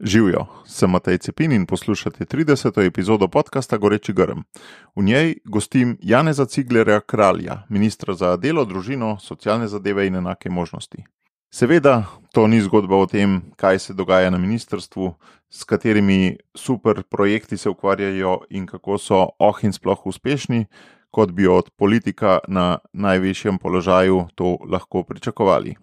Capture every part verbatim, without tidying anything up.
Živijo, sem Matej Cepin in poslušate trideseto epizodo podcasta Goreči grm. V njej gostim Janeza Ciglerja Kralja, ministra za delo, družino, socialne zadeve in enake možnosti. Seveda, to ni zgodba o tem, kaj se dogaja na ministrstvu, s katerimi super projekti se ukvarjajo in kako so oh in sploh uspešni, kot bi od politika na najvišjem položaju to lahko pričakovali.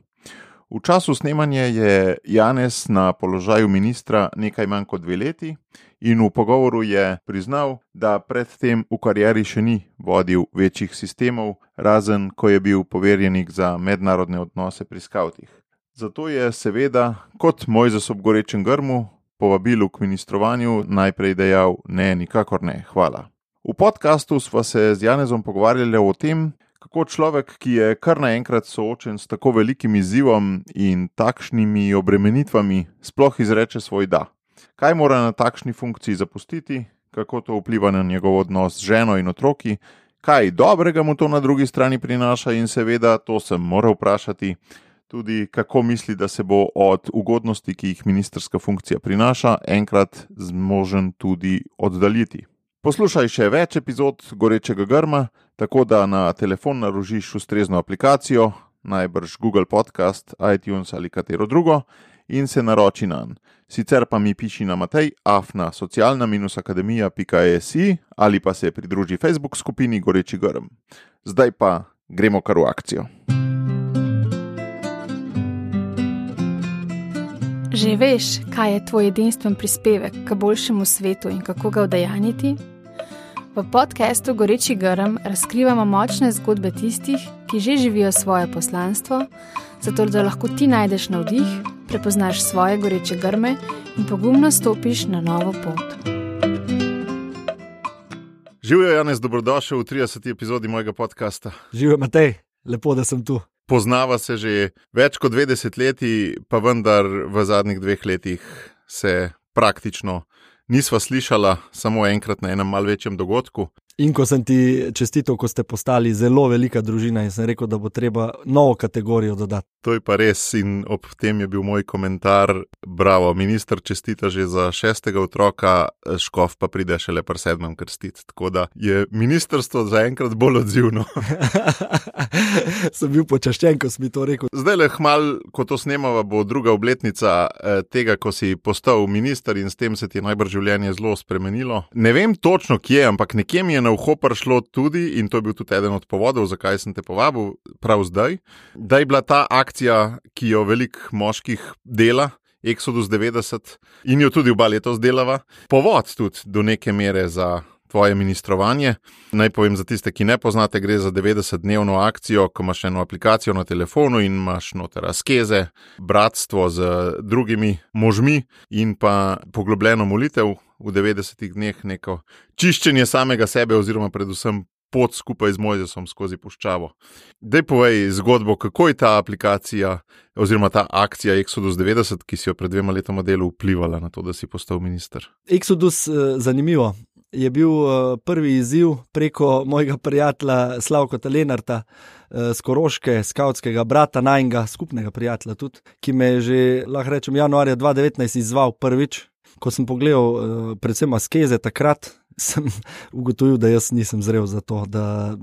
V času snemanja je Janez na položaju ministra nekaj manj kot dve leti in v pogovoru je priznal, da predtem v karieri še ni vodil večjih sistemov, razen ko je bil poverjenik za mednarodne odnose pri skavtih. Zato je seveda, kot Mojzes ob gorečem grmu, povabilu k ministrovanju najprej dejal ne, nikakor ne, hvala. V podkastu sva se z Janezom pogovarjali o tem, kako človek, ki je kar naenkrat soočen s tako velikim izzivom in takšnimi obremenitvami, sploh izreče svoj da. Kaj mora na takšni funkciji zapustiti, kako to vpliva na njegov odnos z ženo in otroki, kaj dobrega mu to na drugi strani prinaša in seveda, to sem moral vprašati, tudi kako misli, da se bo od ugodnosti, ki jih ministrska funkcija prinaša, enkrat zmožen tudi oddaljiti. Poslušaj še več epizod Gorečega grma, tako da na telefon narožiš ustrezno aplikacijo, najbrž Google Podcast, iTunes ali katero drugo, in se naroči nanj. Sicer pa mi piši na matej afna socialna akademija pika si ali pa se pridruži Facebook skupini Goreči grm. Zdaj pa gremo kar v akcijo. Že veš, kaj je tvoj edinstven prispevek k boljšemu svetu in kako ga udejanjiti? V podcastu Goreči grm razkrivamo močne zgodbe tistih, ki že živijo svoje poslanstvo, zato da lahko ti najdeš navdih, prepoznaš svoje goreče grme in pogumno stopiš na novo pot. Živijo, Janez, dobrodošel v trideseti epizodi mojega podcasta. Živijo, Matej, lepo, da sem tu. Poznava se že več kot dve desetletji, pa vendar v zadnjih dveh letih se praktično nisva slišala, samo enkrat na enem malo večjem dogodku. In ko sem ti čestital, ko ste postali zelo velika družina in sem rekel, da bo treba novo kategorijo dodati. To je pa res in ob tem je bil moj komentar, bravo, minister čestita že za šestega otroka, škof pa pride šele pri sedmem krstiti. Tako da je ministrstvo zaenkrat bolj odzivno. Sem bil počaščen, ko si mi to rekel. Zdaj le hmal, ko to snemava, bo druga obletnica eh, tega, ko si postal minister in s tem se ti je najbrž življenje zelo spremenilo. Ne vem točno kje, ampak nekje mi je na uho prišlo tudi, in to je bil tudi eden od povodov, zakaj sem te povabil prav zdaj, da je bila ta akcija, ki jo veliko moških dela, Exodus devetdeset, in jo tudi oba letos delava, povod tudi do neke mere za tvoje ministrovanje. Naj povem za tiste, ki ne poznate, gre za devetdesetdnevno akcijo, ko imaš eno aplikacijo na telefonu in imaš noter askeze, bratstvo z drugimi možmi in pa poglobljeno molitev v devetdesetih dneh, neko čiščenje samega sebe oziroma predvsem pot skupaj z Mojzesom skozi puščavo. Daj povej zgodbo, kako je ta aplikacija oziroma ta akcija Exodus devetdeset, ki si jo pred dvema letoma delu vplivala na to, da si postal minister. Exodus, zanimivo, je bil prvi izziv preko mojega prijatelja Slavkota Lenarta z Koroške, skavtskega brata, najnega skupnega prijatelja tudi, ki me je že, lahko rečem, januarja dva tisoč devetnajst izzval prvič. Ko sem pogledal predvsem askeze takrat, sem ugotovil, da jaz nisem zrel za to, da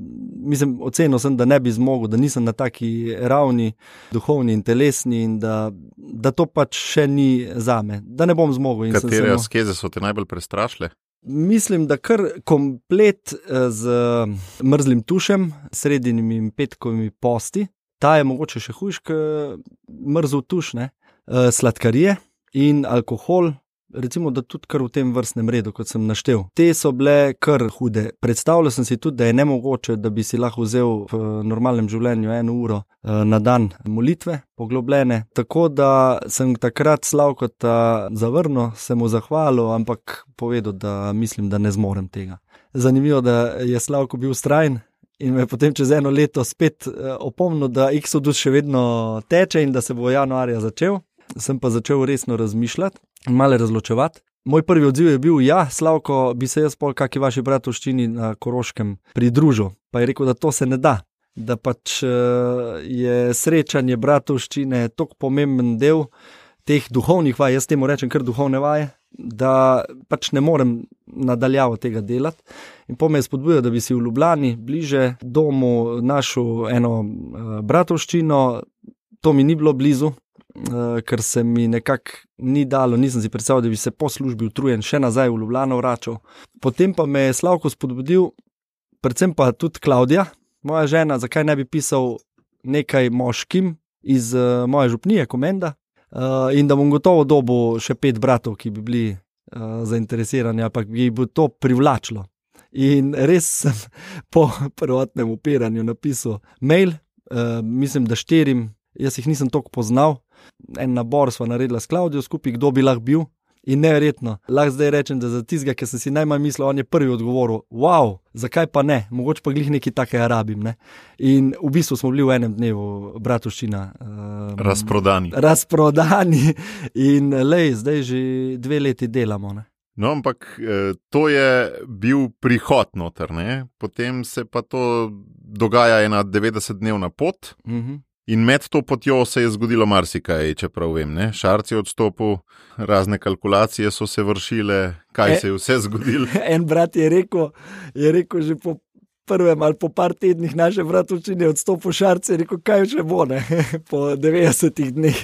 mislim, ocenil sem, da ne bi zmogel, da nisem na taki ravni, duhovni in telesni in da, da to pač še ni zame, da ne bom zmogel. In katere samo... askeze so te najbolj prestrašile? Mislim, da kar komplet z mrzlim tušem, sredinimi in petkovimi posti, ta je mogoče še hujš, kot mrzel tuš, ne? Sladkarije in alkohol, recimo, da tudi kar v tem vrstnem redu, kot sem naštel. Te so bile kar hude. Predstavljal sem si tudi, da je nemogoče, da bi si lahko vzel v normalnem življenju eno uro na dan molitve, poglobljene. Tako da sem takrat Slavkota zavrnil, sem mu zahvalil, ampak povedal, da mislim, da ne zmorem tega. Zanimivo, da je Slavko bil vztrajen in me potem čez eno leto spet opomnil, da Exodus še vedno teče in da se bo januarja začel. Sem pa začel resno razmišljati in malo razločevati. Moj prvi odziv je bil, ja, Slavko, bi se jaz pol kaki vaši bratovščini na Koroškem pridružil. Pa je rekel, da to se ne da, da pač je srečanje bratovščine tok pomemben del, teh duhovnih vaj, jaz temu rečem kar duhovne vaje, da pač ne morem nadaljavo tega delati. In po me je spodbujal, da bi si v Ljubljani, bliže domu, našel eno uh, bratovščino. To mi ni bilo blizu, uh, ker se mi nekako ni dalo, nisem si predstavljal, da bi se po službi utrujen še nazaj v Ljubljano vračal. Potem pa me je Slavko spodbudil, predvsem pa tudi Klavdija, moja žena, zakaj ne bi pisal nekaj moškim iz uh, moje župnije, Komenda, uh, in da bom gotovo dobil še pet bratov, ki bi bili uh, zainteresirani, ali pa bi bo to privlačilo. In res sem po prvotnem upiranju napisal mail, uh, mislim, da štirim, jaz jih nisem toliko poznal, en nabor sva naredila s Klavdijo skupaj, kdo bi lahko bil, in neverjetno. Lahko zdaj rečem, da za tistega, ki sem si najmanj mislil, on je prvi odgovoril, wow, zakaj pa ne, mogoče pa glih nekaj takega rabim, ne. In v bistvu smo bili v enem dnevu bratovščina. Um, razprodani. Razprodani in lej, zdaj že dve leti delamo, ne. No, ampak to je bil prihod noter, ne? Potem se pa to dogaja ena devetdesetdnevna pot. Mhm. In med to potjo se je zgodilo marsikaj, čeprav vem, ne? Šarc je odstopil, razne kalkulacije so se vršile, kaj e, se je vse zgodilo. En brat je rekel, je rekel že po prvem ali po par tednih naše bratovščine odstopil Šarc, je rekel, kaj še bo, ne? Po devetdesetih dneh.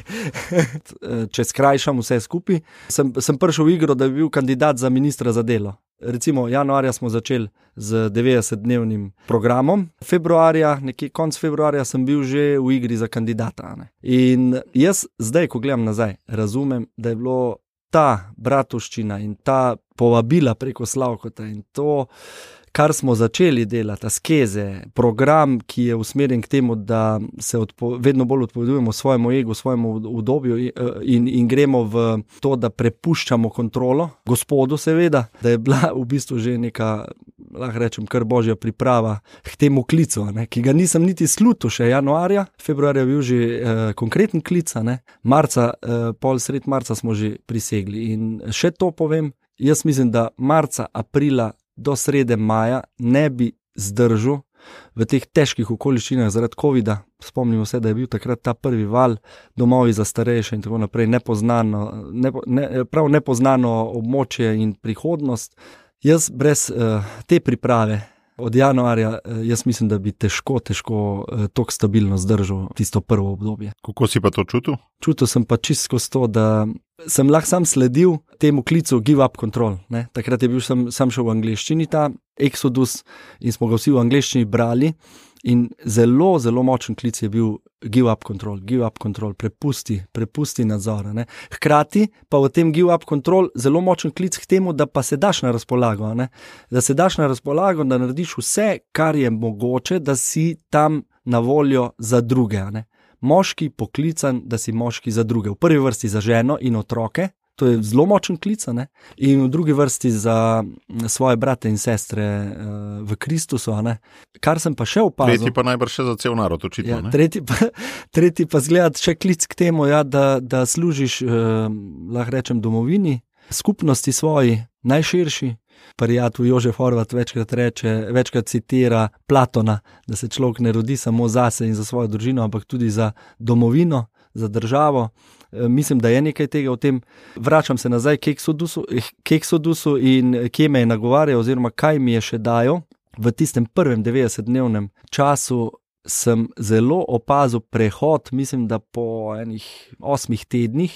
Če skrajšam vse skupaj, sem, sem prišel v igro, da bi bil kandidat za ministra za delo. Recimo januarja smo začeli z devetdesetdnevnim programom, februarja, nekje konc februarja sem bil že v igri za kandidata. Ne? In jaz zdaj, ko gledam nazaj, razumem, da je bilo ta bratovščina in ta povabila preko Slavkota in to, kar smo začeli delati, askeze, program, ki je usmerjen k temu, da se odpo, vedno bolj odpovedujemo svojemu egu, svojemu udobju in, in gremo v to, da prepuščamo kontrolo, Gospodu seveda, da je bila v bistvu že neka, lahko rečem, kar božja priprava k temu klicu, ne, ki ga nisem niti slutil še januarja, februarja bil že eh, konkreten klic, ne, marca, eh, pol sred marca smo že prisegli in še to povem, jaz mislim, da marca, aprila do srede maja ne bi zdržal v teh težkih okoliščinah zaradi covida. Spomnimo se, da je bil takrat ta prvi val, domovi za starejše in tako naprej, nepoznano, nepo, ne, prav nepoznano območje in prihodnost. Jaz brez uh, te priprave od januarja, uh, jaz mislim, da bi težko, težko uh, toliko stabilno zdržal tisto prvo obdobje. Kako si pa to čutil? Čutil sem pa čisto skozi to, da sem lahko sam sledil temu klicu Give Up Control. Ne? Takrat je bil sam, sam šel v angleščini ta Exodus in smo ga vsi v angleščini brali in zelo, zelo močen klic je bil Give Up Control, Give Up Control, prepusti, prepusti nadzora. Ne? Hkrati pa v tem Give Up Control zelo močen klic k temu, da pa se daš na razpolago, ne? Da se daš na razpolago, da narediš vse, kar je mogoče, da si tam na voljo za druge, ne? Moški poklican, da si moški za druge. V prvi vrsti za ženo in otroke, to je zelo močen klic, ne? In v drugi vrsti za svoje brate in sestre uh, v Kristusu. Ne? Kar sem pa še opazil. Tretji pa najbrž še za cel narod, očitno. Ja, tretji, pa, tretji pa zgleda še klic k temu, ja, da, da služiš, uh, lahko rečem, domovini, skupnosti svoji, najširši. Prijatelj Jožef Horvat večkrat reče, večkrat citira Platona, da se človek ne rodi samo zase in za svojo družino, ampak tudi za domovino, za državo. E, mislim, da je nekaj tega v tem. Vračam se nazaj k Exodusu, k Exodusu in kje me je nagovarjal oziroma kaj mi je še dajal. V tistem prvem devetdesetdnevnem času sem zelo opazil prehod, mislim, da po enih osmih tednih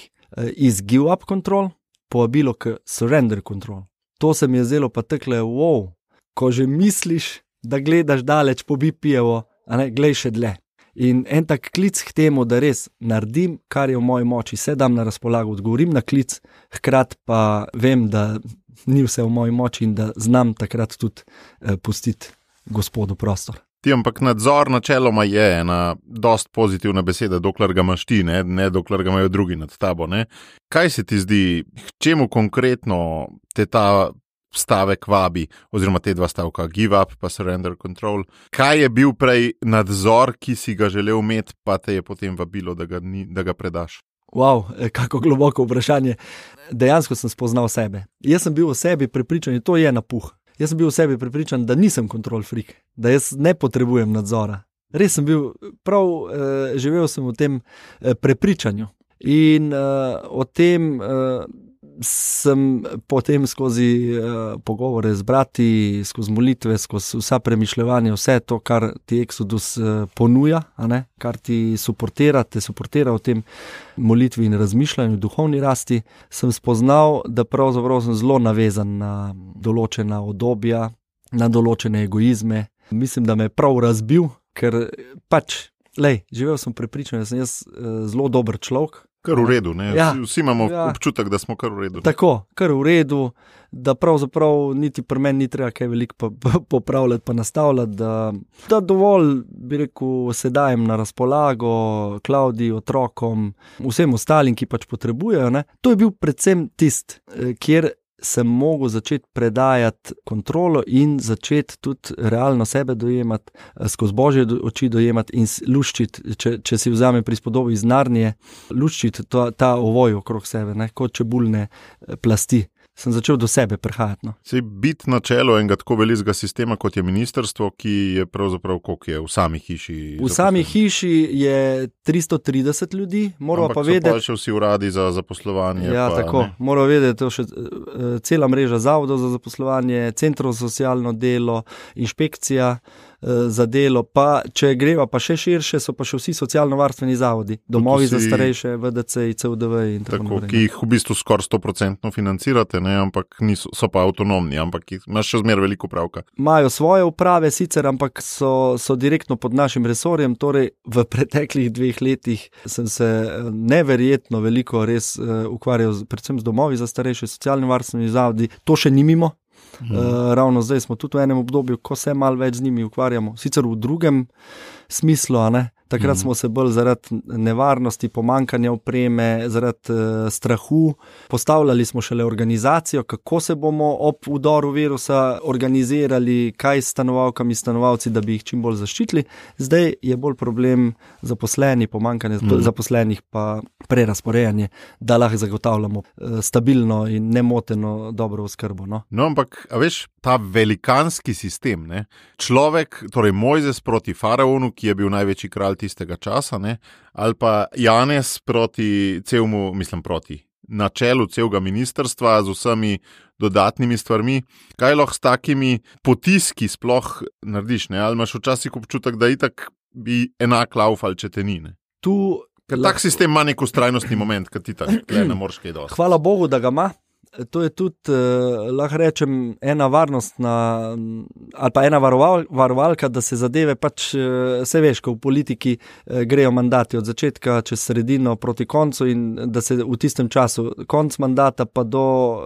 iz Give Up Control povabilo k Surrender Control. To se mi je zdelo pa takle, wow, ko že misliš, da gledaš daleč po bi pijevo, a ne, glej še dlje. In en tak klic k temu, da res naredim, kar je v moji moči, se dam na razpolago, odgovorim na klic, hkrat pa vem, da ni vse v moji moči in da znam takrat tudi eh, pustiti Gospodu prostor. Ti, ampak nadzor načeloma je ena dost pozitivna beseda, dokler ga imaš ti, ne, ne dokler ga imajo drugi nad tabo. Ne. Kaj se ti zdi, čemu konkretno te ta stavek vabi, oziroma te dva stavka, Give Up pa Surrender Control? Kaj je bil prej nadzor, ki si ga želel imeti, pa te je potem vabilo, da ga, ni, da ga predaš? Wow, kako globoko vprašanje. Dejansko sem spoznal sebe. Jaz sem bil v sebi prepričan, to je napuh. Jaz sem bil v sebi prepričan, da nisem control freak, da jaz ne potrebujem nadzora. Res sem bil, prav eh, živel sem v tem eh, prepričanju. In uh, o tem uh, sem potem skozi uh, pogovore z brati, skozi molitve, skozi vsa premišljevanja, vse to, kar ti Exodus uh, ponuja, a ne? Kar ti suportira, te suportira v tem molitvi in razmišljanju, duhovni rasti, sem spoznal, da pravzaprav sem zelo navezan na določena obdobja, na določene egoizme. Mislim, da me je prav razbil, ker pač, lej, živel sem prepričan, da sem jaz uh, zelo dober človek. Kar v redu, ne? Ja, vsi, vsi imamo ja. občutek, da smo kar v redu. Ne? Tako, kar v redu, da pravzaprav niti pri meni ni treba kaj veliko pa, pa, popravljati, pa nastavljati, da, da dovolj, bi rekel, se dajem na razpolago Klaudiji, otrokom, vsem ostalim, ki pač potrebujejo. Ne? To je bil predvsem tist, kjer sem mogel začeti predajati kontrolo in začeti tudi realno sebe dojemati, skozi Božje oči dojemati in luščiti, če, če si vzame prispodobo iz Narnije, luščiti ta, ta ovoj okrog sebe, ne, kot čebulne plasti. Sem začel do sebe prihajati. No. Sej biti na čelu enega tako velikega sistema, kot je ministrstvo, ki je pravzaprav, koliko je v sami hiši? V sami hiši je tristo trideset ljudi, moramo pa vedeti. Ampak so pa še vsi uradi za zaposlovanje. Ja, pa, tako, moramo vedeti, to še uh, cela mreža zavodov za zaposlovanje, centrov za socialno delo, inšpekcija za delo, pa če greva pa še širše, so pa še vsi socialno-varstveni zavodi, domovi vsi, za starejše, V D C, C U D V in tako naprej. Ki jih v bistvu skoraj sto procentno financirate, ne, ampak niso, so pa avtonomni, ampak imaš še zmeraj veliko pravka. Imajo svoje uprave sicer, ampak so, so direktno pod našim resorjem, torej v preteklih dveh letih sem se neverjetno veliko res uh, ukvarjal predvsem z domovi za starejše, socialno-varstveni zavodi, to še ni mimo. Hmm. Uh, ravno zdaj smo tudi v enem obdobju, ko se malo več z njimi ukvarjamo, sicer v drugem smislu, a ne? Takrat hmm. smo se bolj zaradi nevarnosti, pomankanja opreme, zaradi uh, strahu, postavljali smo šele organizacijo, kako se bomo ob udoru virusa organizirali, kaj s stanovalkami, stanovalci, da bi jih čim bolj zaščitili. Zdaj je bolj problem zaposleni, pomankanje hmm. zaposlenih pa prerasporejanje, da lahko zagotavljamo uh, stabilno in nemoteno dobro oskrbo. No, no ampak, a veš, ta velikanski sistem, ne? Človek, torej Mojzes proti faraonu, ki je bil največji kralj tistega časa, ne? Ali pa Janez proti celmu, mislim proti, na čelu celega ministrstva z vsemi dodatnimi stvarmi. Kaj lahko s takimi potiski sploh narediš, ne? Ali imaš včasih občutek, da itak bi enak laufal, če te ni, ne? Tu Ker tak sistem ima nek ustrajnostni moment, kad ti tak ne moreš kaj dosti. Hvala Bogu, da ga ima. To je tudi, eh, lahko rečem, ena varnostna ali pa ena varoval, varovalka, da se zadeve pač, eh, se veš, ko v politiki eh, grejo mandati od začetka čez sredino proti koncu in da se v tistem času konc mandata pa do,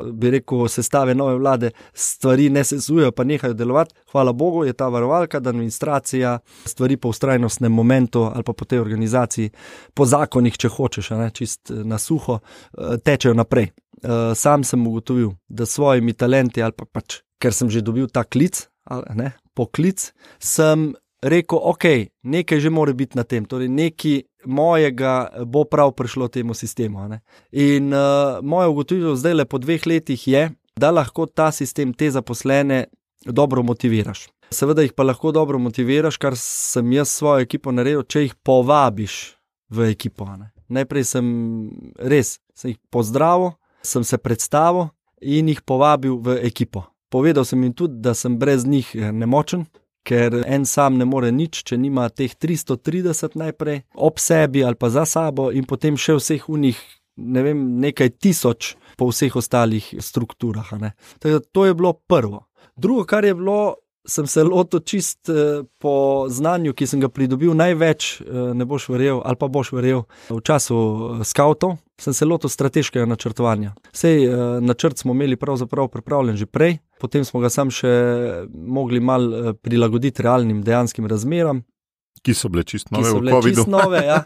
bi rekel, sestave nove vlade stvari ne sesujejo pa nehajo delovati. Hvala Bogu je ta varovalka, da administracija stvari po ustrajnostnem momentu ali pa po tej organizaciji, po zakonih, če hočeš, a ne, čist na suho, eh, tečejo naprej. Uh, sam sem ugotovil, da s svojimi talenti ali pa pač, ker sem že dobil ta klic, ali ne, poklic, sem rekel, ok, nekaj že mora biti na tem, torej nekaj mojega bo prav prišlo temu sistemu. A ne. In uh, moja ugotovitev zdaj le po dveh letih je, da lahko ta sistem, te zaposlene dobro motiviraš. Seveda jih pa lahko dobro motiviraš, kar sem jaz svojo ekipo naredil, če jih povabiš v ekipo. A ne. Najprej sem res, sem jih pozdravil, sem se predstavil in jih povabil v ekipo. Povedal sem jim tudi, da sem brez njih nemočen, ker en sam ne more nič, če nima teh tristo trideset najprej ob sebi ali pa za sabo in potem še vseh unih, ne vem, nekaj tisoč po vseh ostalih strukturah. A ne. Tako, to je bilo prvo. Drugo, kar je bilo, sem se lotil čist po znanju, ki sem ga pridobil največ, ne boš verjel, ali pa boš verjel, v času skavtov, sem se lotil strateškega načrtovanja. Sej načrt smo imeli pravzaprav pripravljen že prej, potem smo ga sam še mogli mal prilagoditi realnim dejanskim razmeram. Ki so bile čist nove v covidu. Ki so bile čist nove, ja.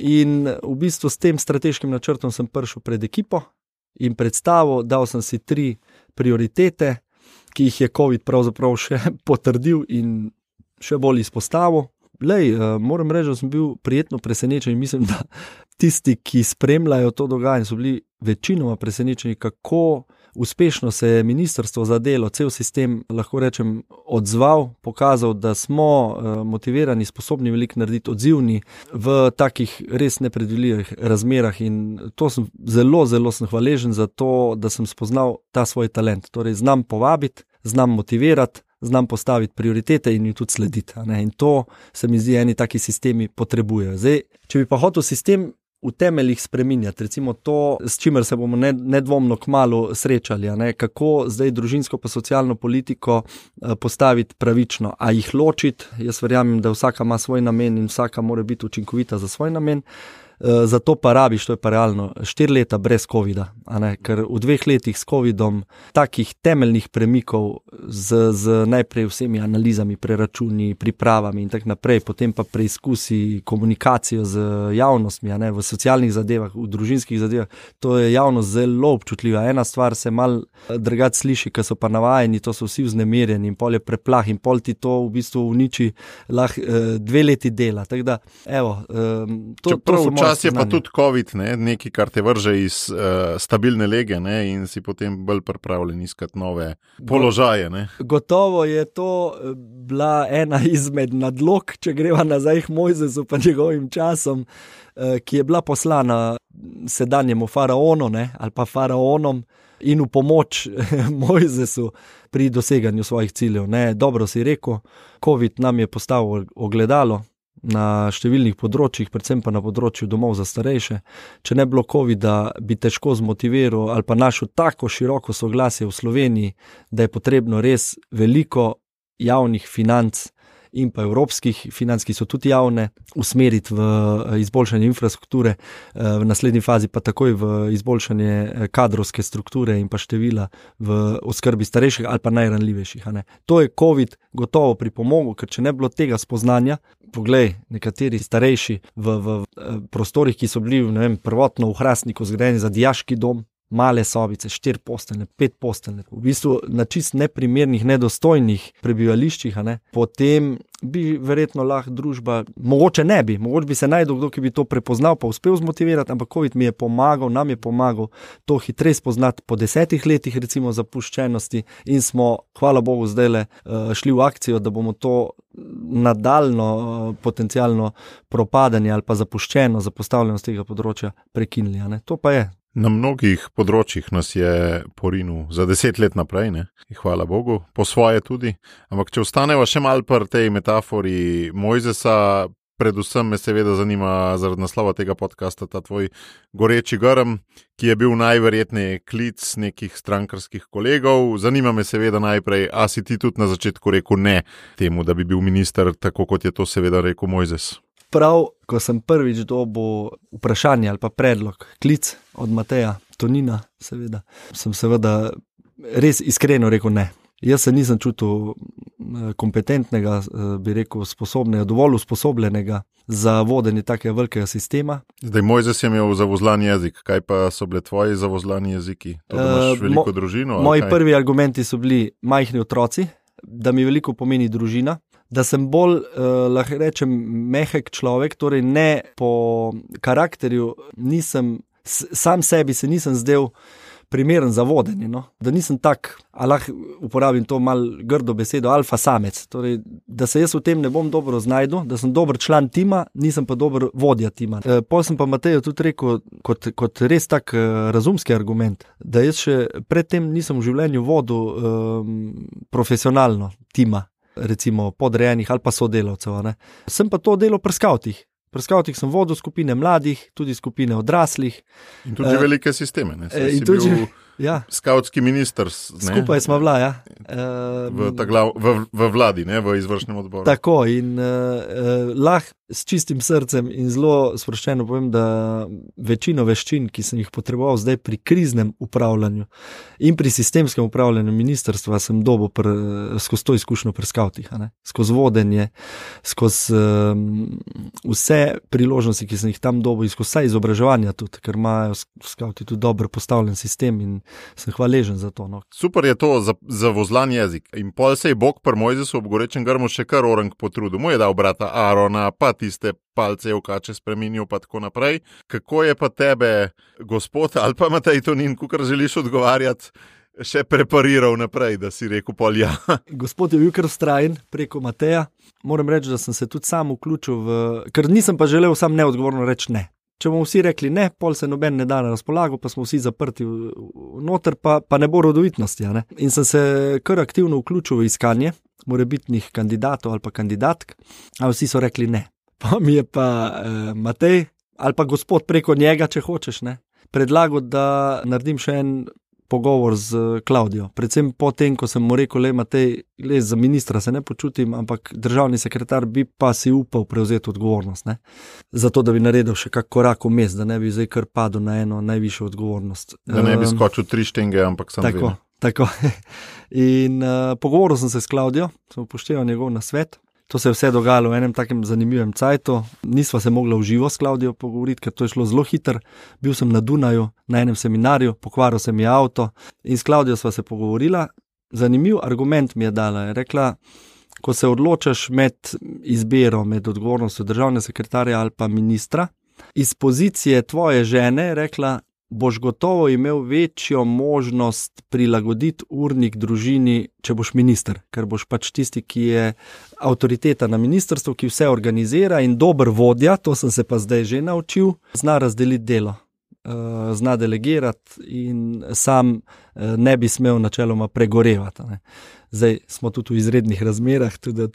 In v bistvu s tem strateškim načrtom sem prišel pred ekipo in predstavil, dal sem si tri prioritete, ki jih je COVID pravzaprav še potrdil in še bolj izpostavil. Lej, moram reči, da sem bil prijetno presenečen in mislim, da tisti, ki spremljajo to dogajanje, so bili večinoma presenečeni, kako uspešno se je ministrstvo za delo, cel sistem, lahko rečem, odzval, pokazal, da smo motivirani, sposobni veliko narediti, odzivni v takih res nepredvidljivih razmerah in to sem zelo, zelo sem hvaležen za to, da sem spoznal ta svoj talent. Torej, znam povabiti, znam motivirati, znam postaviti prioritete in jim tudi slediti. In to se mi zdi, eni taki sistemi potrebujejo. Zdaj, če bi pa hotel sistem v temeljih spreminjati, recimo to, s čimer se bomo nedvomno kmalu srečali, ne? Kako zdaj družinsko pa socialno politiko postaviti pravično, a jih ločiti. Jaz verjamem, da vsaka ima svoj namen in vsaka mora biti učinkovita za svoj namen. Zato pa rabiš, to je pa realno, štiri leta brez covida, a ne? Ker v dveh letih s covidom takih temeljnih premikov z, z najprej vsemi analizami, preračuni, pripravami in tak naprej, potem pa preizkusi komunikacijo z javnostmi, a ne? V socialnih zadevah, v družinskih zadevah, to je javnost zelo občutljiva. Ena stvar se mal drugače sliši, ker so pa navajeni, to so vsi vznemirjeni in pol je preplah in pol ti to v bistvu uniči lahko dve leti dela. Tako da, evo, to, to so moje Čas je pa tudi COVID, ne? Nekaj, kar te vrže iz uh, stabilne lege, ne? In si potem bolj pripravljen iskati nove položaje. Ne? Gotovo je to bila ena izmed nadlog, če greva nazaj k Mojzesu pa njegovim časom, uh, ki je bila poslana sedanjemu faraonu, ne? Ali pa faraonom in v pomoč Mojzesu pri doseganju svojih ciljev. Ne? Dobro si rekel, COVID nam je postavil ogledalo na številnih področjih, predvsem pa na področju domov za starejše. Če ne bilo covida, bi težko zmotiviral ali pa našel tako široko soglasje v Sloveniji, da je potrebno res veliko javnih financ in pa evropskih financ, ki so tudi javne, usmeriti v izboljšanje infrastrukture, v naslednji fazi pa takoj v izboljšanje kadrovske strukture in pa števila v oskrbi starejših ali pa najranljivejših. A ne. To je COVID gotovo pripomogel, ker če ne bilo tega spoznanja, poglej, nekateri starejši v, v prostorih, ki so bili, ne vem, prvotno v Hrastniku zgrajeni za dijaški dom, male sobice, štiri posteljne, pet posteljne, v bistvu na čist neprimernih, nedostojnih prebivališčih, a ne, potem bi verjetno lahko družba, mogoče ne bi, mogoče bi se najdel kdo, ki bi to prepoznal, pa uspel zmotivirati, ampak COVID mi je pomagal, nam je pomagal to hitreje spoznati po desetih letih recimo zapuščenosti in smo, hvala Bogu, zdajle šli v akcijo, da bomo to nadaljno potencialno propadanje ali pa zapuščeno, zapostavljenost tega področja prekinili, a ne, to pa je. Na mnogih področjih nas je porinil za deset let naprej, ne? Hvala Bogu, po svoje tudi. Ampak če ostaneva še malo pri tej metafori Mojzesa, predvsem me seveda zanima zaradi naslova tega podcasta ta tvoj goreči grm, ki je bil najverjetneje klic nekih strankarskih kolegov. Zanima me seveda najprej, a si ti tudi na začetku rekel ne temu, da bi bil minister, tako kot je to seveda rekel Mojzes? Prav, ko sem prvič dobil vprašanje ali pa predlog, klic od Mateja Tonina, seveda, sem seveda res iskreno rekel ne. Jaz se nisem čutil kompetentnega, bi rekel, sposobnega, dovolj usposobljenega za vodenje takega velikega sistema. Zdaj, Mojzes je imel zavozlan jezik, kaj pa so bile tvoji zavozlani jeziki? To, da imaš uh, veliko mo- družino? Moji kaj? Prvi argumenti so bili majhni otroci, da mi veliko pomeni družina, da sem bolj, uh, lahko rečem, mehek človek, torej ne po karakterju, nisem, sam sebi se nisem zdel primeren za vodenje, no? Da nisem tak, a lahko uporabim to mal grdo besedo, alfa samec, torej, da se jaz v tem ne bom dobro znajdel, da sem dober član tima, nisem pa dober vodja tima. E, pol sem pa Mateju tudi rekel, kot, kot res tak uh, razumski argument, da jaz še predtem nisem v življenju vodil um, profesionalno tima, recimo podrejenih ali pa sodelavcev. Ne. Sem pa to delal pri skavtih. Pri skavtih sem vodil skupine mladih, tudi skupine odraslih. In tudi uh, velike sisteme. Ne. In si tudi, bil ja. Skavtski minister. Ne. Skupaj smo bila, ja. Uh, v, glav, v, v vladi, ne, v izvršnem odboru. Tako in uh, uh, lahko s čistim srcem in zelo sproščeno povem, da večino veščin, ki sem jih potreboval zdaj pri kriznem upravljanju in pri sistemskem upravljanju ministrstva, sem dobil pr, skozi to izkušnjo pri skavtih, a ne? Skozi vodenje, skozi um, vse priložnosti, ki sem jih tam dobil, in skozi vse izobraževanja tudi, ker imajo skavti tudi dobro postavljen sistem in sem hvaležen za to. No. Super je to za, za vozlan jezik. In pol se je Bog pri Mojzesu ob gorečem grmu še kar orang potrudil. Mu je dal brata Arona, pa tiste palce v kače spremenil, pa tako naprej. Kako je pa tebe, gospod, ali pa Matej Tonin, kakor želiš odgovarjati, še prepariral naprej, da si rekel pol ja. Gospod je bil kar vztrajen preko Mateja. Moram reči, da sem se tudi sam vključil v... Ker nisem pa želel sam neodgovorno reči ne. Če bomo vsi rekli ne, pol se noben ne da na razpolago, pa smo vsi zaprti v, v noter, pa, pa ne bo rodovitnosti. Ne? In sem se kar aktivno vključil v iskanje morebitnih kandidatov ali pa kandidatk, a vsi so rekli ne. Pa mi je pa eh, Matej, ali pa gospod preko njega, če hočeš, ne, predlagal, da naredim še en pogovor z Klavdijo. Predvsem po tem, ko sem mu rekel, le Matej, le za ministra se ne počutim, ampak državni sekretar bi pa si upal prevzeti odgovornost. Ne? Zato, da bi naredil še kak korak vmes, da ne bi zdaj kar padel na eno najvišjo odgovornost. Da ne bi skočil tri štenge, ampak sam tako, tako. In uh, pogovoril sem se s Klavdijo, sem upošteval njegov nasvet. To se je vse dogajalo v enem takem zanimivem cajtu. Nisva se mogla v živo s Klavdijo pogovoriti, ker to je šlo zelo hitro. Bil sem na Dunaju, na enem seminarju, pokvaril se mi je avto in s Klavdijo sva se pogovorila. Zanimiv argument mi je dala. Je rekla, ko se odločaš med izbiro, med odgovornostjo državne sekretarja ali pa ministra, iz pozicije tvoje žene, je rekla, boš gotovo imel večjo možnost prilagoditi urnik družini, če boš minister, ker boš pač tisti, ki je avtoriteta na ministrstvu, ki vse organizira in dober vodja, to sem se pa zdaj že naučil, zna razdeliti delo, zna delegirati in sam ne bi smel načeloma pregorevati. Ne. Zdaj smo tudi v izrednih razmerah, tudi,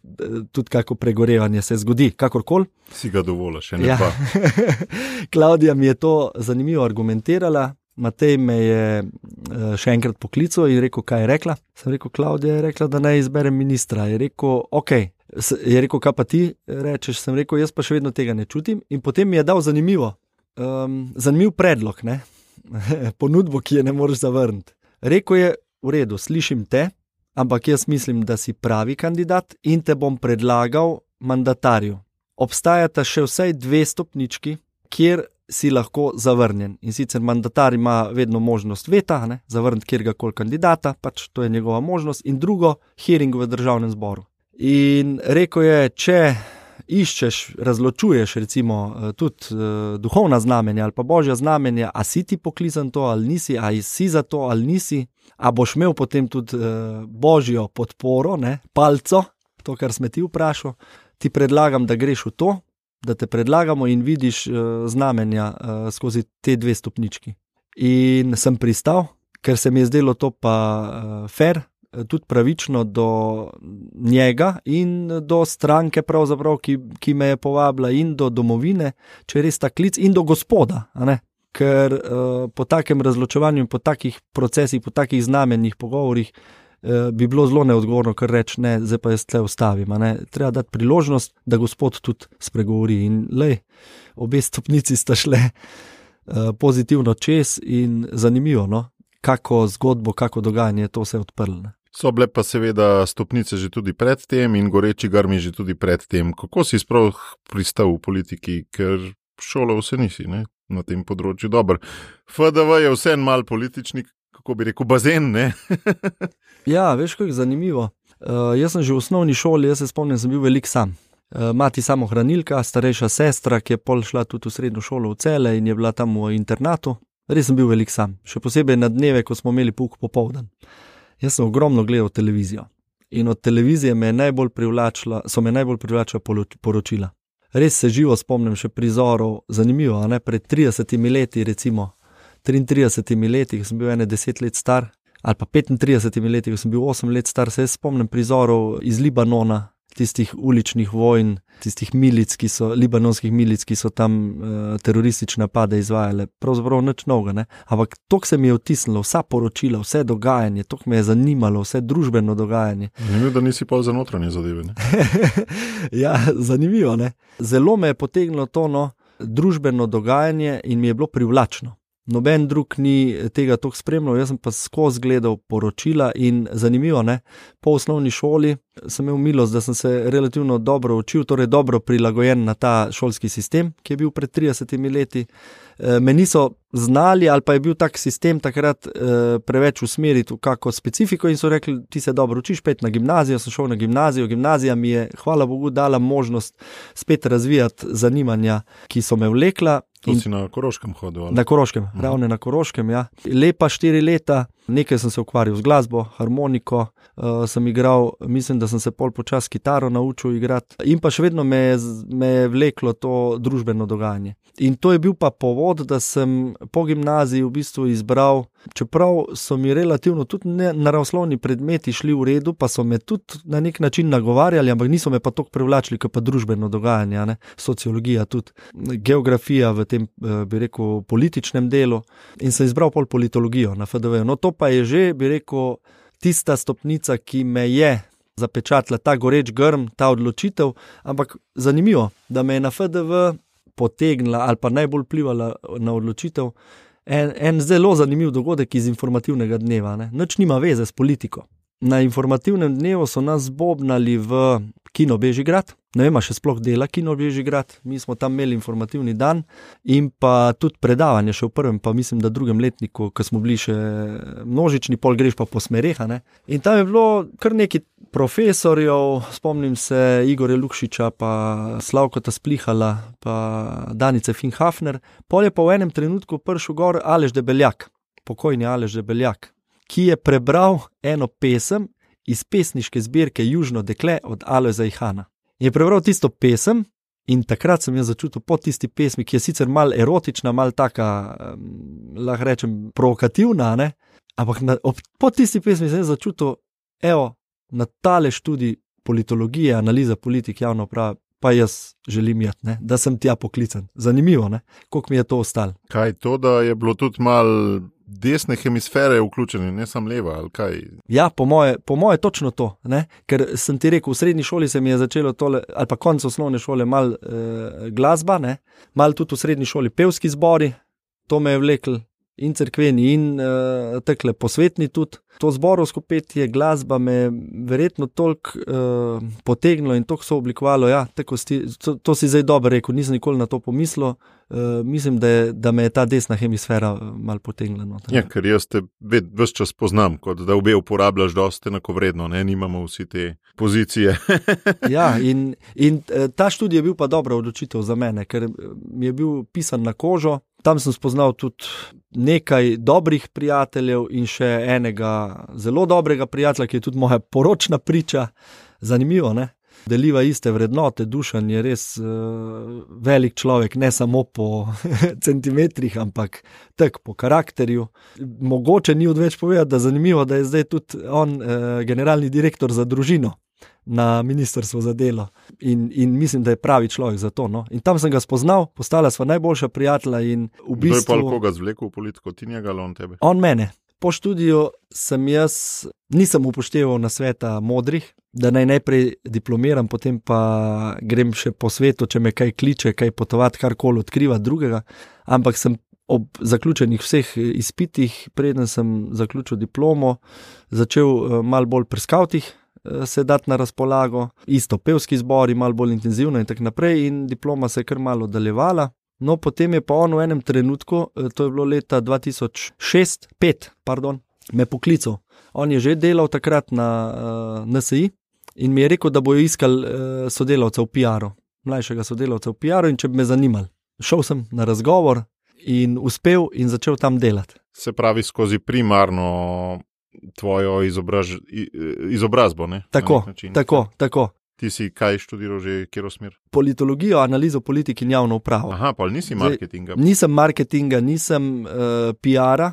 tudi kako pregorevanje se zgodi, kakorkoli. Si ga dovolj, še ne ja. pa. Klaudija mi je to zanimivo argumentirala, Matej me je še enkrat poklical in rekel, kaj je rekla. Sem rekel, Klaudija je rekla, da naj izberem ministra. Je rekel, ok, je rekel, kaj pa ti rečeš, sem rekel, jaz pa še vedno tega ne čutim in potem mi je dal zanimivo, um, zanimiv predlog, ne? Ponudbo, ki je ne moreš zavrniti. Rekel je, v redu, slišim te, ampak jaz mislim, da si pravi kandidat in te bom predlagal mandatarju. Obstajata še vsaj dve stopnički, kjer si lahko zavrnjen. In sicer mandatar ima vedno možnost veta, ne, zavrniti kjerkoli kandidata, pač to je njegova možnost. In drugo, hearing v državnem zboru. In rekel je, če iščeš, razločuješ recimo tudi uh, duhovna znamenja ali pa božja znamenja, a si ti poklican to ali nisi, a si za to ali nisi, a boš imel potem tudi uh, božjo podporo, ne, palco, to, kar sme ti vprašal, ti predlagam, da greš v to, da te predlagamo in vidiš uh, znamenja uh, skozi te dve stopnički. In sem pristal, ker se mi je zdelo to pa uh, fair, tudi pravično do njega in do stranke pravzaprav, ki, ki me je povabila in do domovine, če res ta klic, in do gospoda, a ne? Ker uh, po takem razločevanju in po takih procesih, po takih znamenjih, pogovorih uh, bi bilo zelo neodgovorno, kar reči, ne, zdaj pa jaz tle ostavim, a ne? Treba dati priložnost, da gospod tudi spregovori in lej, obe stopnici sta šle uh, pozitivno čez in zanimivo, no? Kako zgodbo, kako dogajanje, to se je odprlo, ne? So bile pa seveda stopnice že tudi pred tem in goreči grmi že tudi pred tem. Kako si sploh pristal v politiki, ker šolo vse nisi, ne, na tem področju dober. F D V je vse en mal politični, kako bi rekel, bazen, ne? Ja, veš, kako je zanimivo. Uh, jaz sem že v osnovni šoli, jaz se spomnim, sem bil velik sam. Uh, mati samohranilka, starejša sestra, ki je pol šla tudi v srednjo šolo v Cele in je bila tam v internatu. Res sem bil velik sam, še posebej na dneve, ko smo imeli pouk popoldan. Jaz sem ogromno gledal televizijo in od televizije me je najbolj privlačila, so me najbolj privlačila poročila. Res se živo spomnim še prizorov, zanimivo, a ne, pred tridesetimi leti, recimo triintridesetimi leti, ko sem bil ene deset let star, ali pa petintridesetimi leti, ko sem bil osem let star, se spomnim prizorov iz Libanona, tistih uličnih vojn, tistih milic, ki so, libanonskih milic, ki so tam uh, teroristične napade izvajale. Pravzaprav nič novega, ne? Ampak toliko se mi je vtisnilo, vsa poročila, vse dogajanje, toliko me je zanimalo, vse družbeno dogajanje. Zanimivo, da nisi pol za notranje zadeve, ne? Ja, zanimivo, ne? Zelo me je potegnilo to, no, družbeno dogajanje in mi je bilo privlačno. Noben drug ni tega toliko spremljal, jaz sem pa skozi gledal poročila in zanimivo, ne, po osnovni šoli sem imel milost, da sem se relativno dobro učil, torej dobro prilagojen na ta šolski sistem, ki je bil pred tridesetimi leti. me niso znali ali pa je bil tak sistem takrat eh, preveč usmeriti v kako specifiko in so rekli, ti se dobro učiš, pet na gimnazijo, sem šel na gimnazijo, gimnazija mi je, hvala Bogu, dala možnost spet razvijati zanimanja, ki so me vlekla. To si na Koroškem hodil? Ali? Na Koroškem, uh-huh. ravno na Koroškem, ja. Lepa štiri leta, nekaj sem se ukvarjal z glasbo, harmoniko, uh, sem igral, mislim, da sem se pol počas kitaro naučil igrati in pa še vedno me je, me je vleklo to družbeno dogajanje. In to je bil pa povod, da sem po gimnaziji v bistvu izbral, čeprav so mi relativno tudi naravoslovni predmeti šli v redu, pa so me tudi na nek način nagovarjali, ampak niso me pa toliko privlačili, kot pa družbeno dogajanje, ne? Sociologija tudi, geografija v tem, bi rekel, političnem delu in sem izbral pol politologijo na F D V. No to pa je že, bi rekel, tista stopnica, ki me je zapečatila, ta goreč grm, ta odločitev, ampak zanimivo, da me je na F D V potegnila ali pa najbolj vplivala na odločitev en, en zelo zanimiv dogodek iz informativnega dneva. Ne? Nič nima veze s politiko. Na informativnem dnevu so nas zbobnali v Kino Bežigrad, ne vem, še sploh dela Kino Bežigrad, mi smo tam imeli informativni dan in pa tudi predavanje še v prvem, pa mislim, da drugem letniku, ko smo bili še množični, pol greš pa po smereh, ne. In tam je bilo kar nekaj profesorjev, spomnim se Igorja Lukšiča, pa Slavkota Splihala, pa Danice Finhafner, pol je pa v enem trenutku prišel gor Aleš Debeljak, pokojni Aleš Debeljak, ki je prebral eno pesem iz pesniške zbirke Južno dekle od Alojza Ihana. Je prebral tisto pesem in takrat sem jaz začutil po tisti pesmi, ki je sicer mal erotična, mal taka, um, lahko rečem, provokativna, ne? Ampak na, ob, po tisti pesmi sem jaz začutil, evo, na tale študij politologije, analiza politik, javno uprava, pa jaz želim jeti, ne? Da sem tja poklican. Zanimivo, ne? Koliko mi je to ostalo. Kaj to, da je bilo tudi mal desne hemisfere vključene, ne sam leva, ali kaj? Ja, po moje, po moje točno to, ne? Ker sem ti rekel, v srednji šoli se mi je začelo tole, ali pa konec osnovne šole, mal eh, glasba, ne? Mal tudi v srednji šoli pevski zbori, to me je vlekl in cerkveni in eh, tekle posvetni tudi. To zborovsko petje, glasba me verjetno toliko eh, potegnilo in toliko so oblikovalo, ja, tako sti, to, to si zdaj dobro rekel, nisem nikoli na to pomislil. Uh, mislim, da, je, da me je ta desna hemisfera malo potegnila. No, ja, ker jaz te ves čas poznam, kot da obe uporabljaš dosti enakovredno, ne, nimamo vsi te pozicije. Ja, in, in ta študij je bil pa dobra odločitev za mene, ker mi je bil pisan na kožo, tam sem spoznal tudi nekaj dobrih prijateljev in še enega zelo dobrega prijatelja, ki je tudi moja poročna priča. Zanimivo, ne? Deliva iste vrednote, Dušan je res uh, velik človek, ne samo po centimetrih, ampak tak po karakterju. Mogoče ni odveč povedati, da zanimivo, da je zdaj tudi on uh, generalni direktor za družino na Ministrstvu za delo in, in mislim, da je pravi človek za to. No? In tam sem ga spoznal, postala sva najboljša prijatelja in v bistvu... Kdo je pa koga zvlekel v politiko, ti njega ali on tebe? On mene. Po študiju sem jaz, nisem upošteval nasveta modrih, da naj najprej diplomiram, potem pa grem še po svetu, če me kaj kliče, kaj potovati, karkoli odkrivati drugega, ampak sem ob zaključenih vseh izpitih, preden sem zaključil diplomo, začel malo bolj pri skavtih se dati na razpolago, isto pevski zbori, malo bolj intenzivno in tako naprej in diploma se je kar malo oddaljevala. No, potem je pa on v enem trenutku, to je bilo leta dva tisoč šest, pet, pardon, me poklical. On je že delal takrat na uh, N S I in mi je rekel, da bojo iskali uh, sodelavca v P R-u, mlajšega sodelavca v P R-u in če bi me zanimali. Šel sem na razgovor in uspel in začel tam delati. Se pravi skozi primarno tvojo izobraž, izobrazbo, ne? Tako, tako, tako. Ti si kaj študiral že, kjero smer? Politologijo, analizo politik in javno upravo. Aha, pa nisi marketinga. Zdaj, nisem marketinga, nisem uh, P R-a,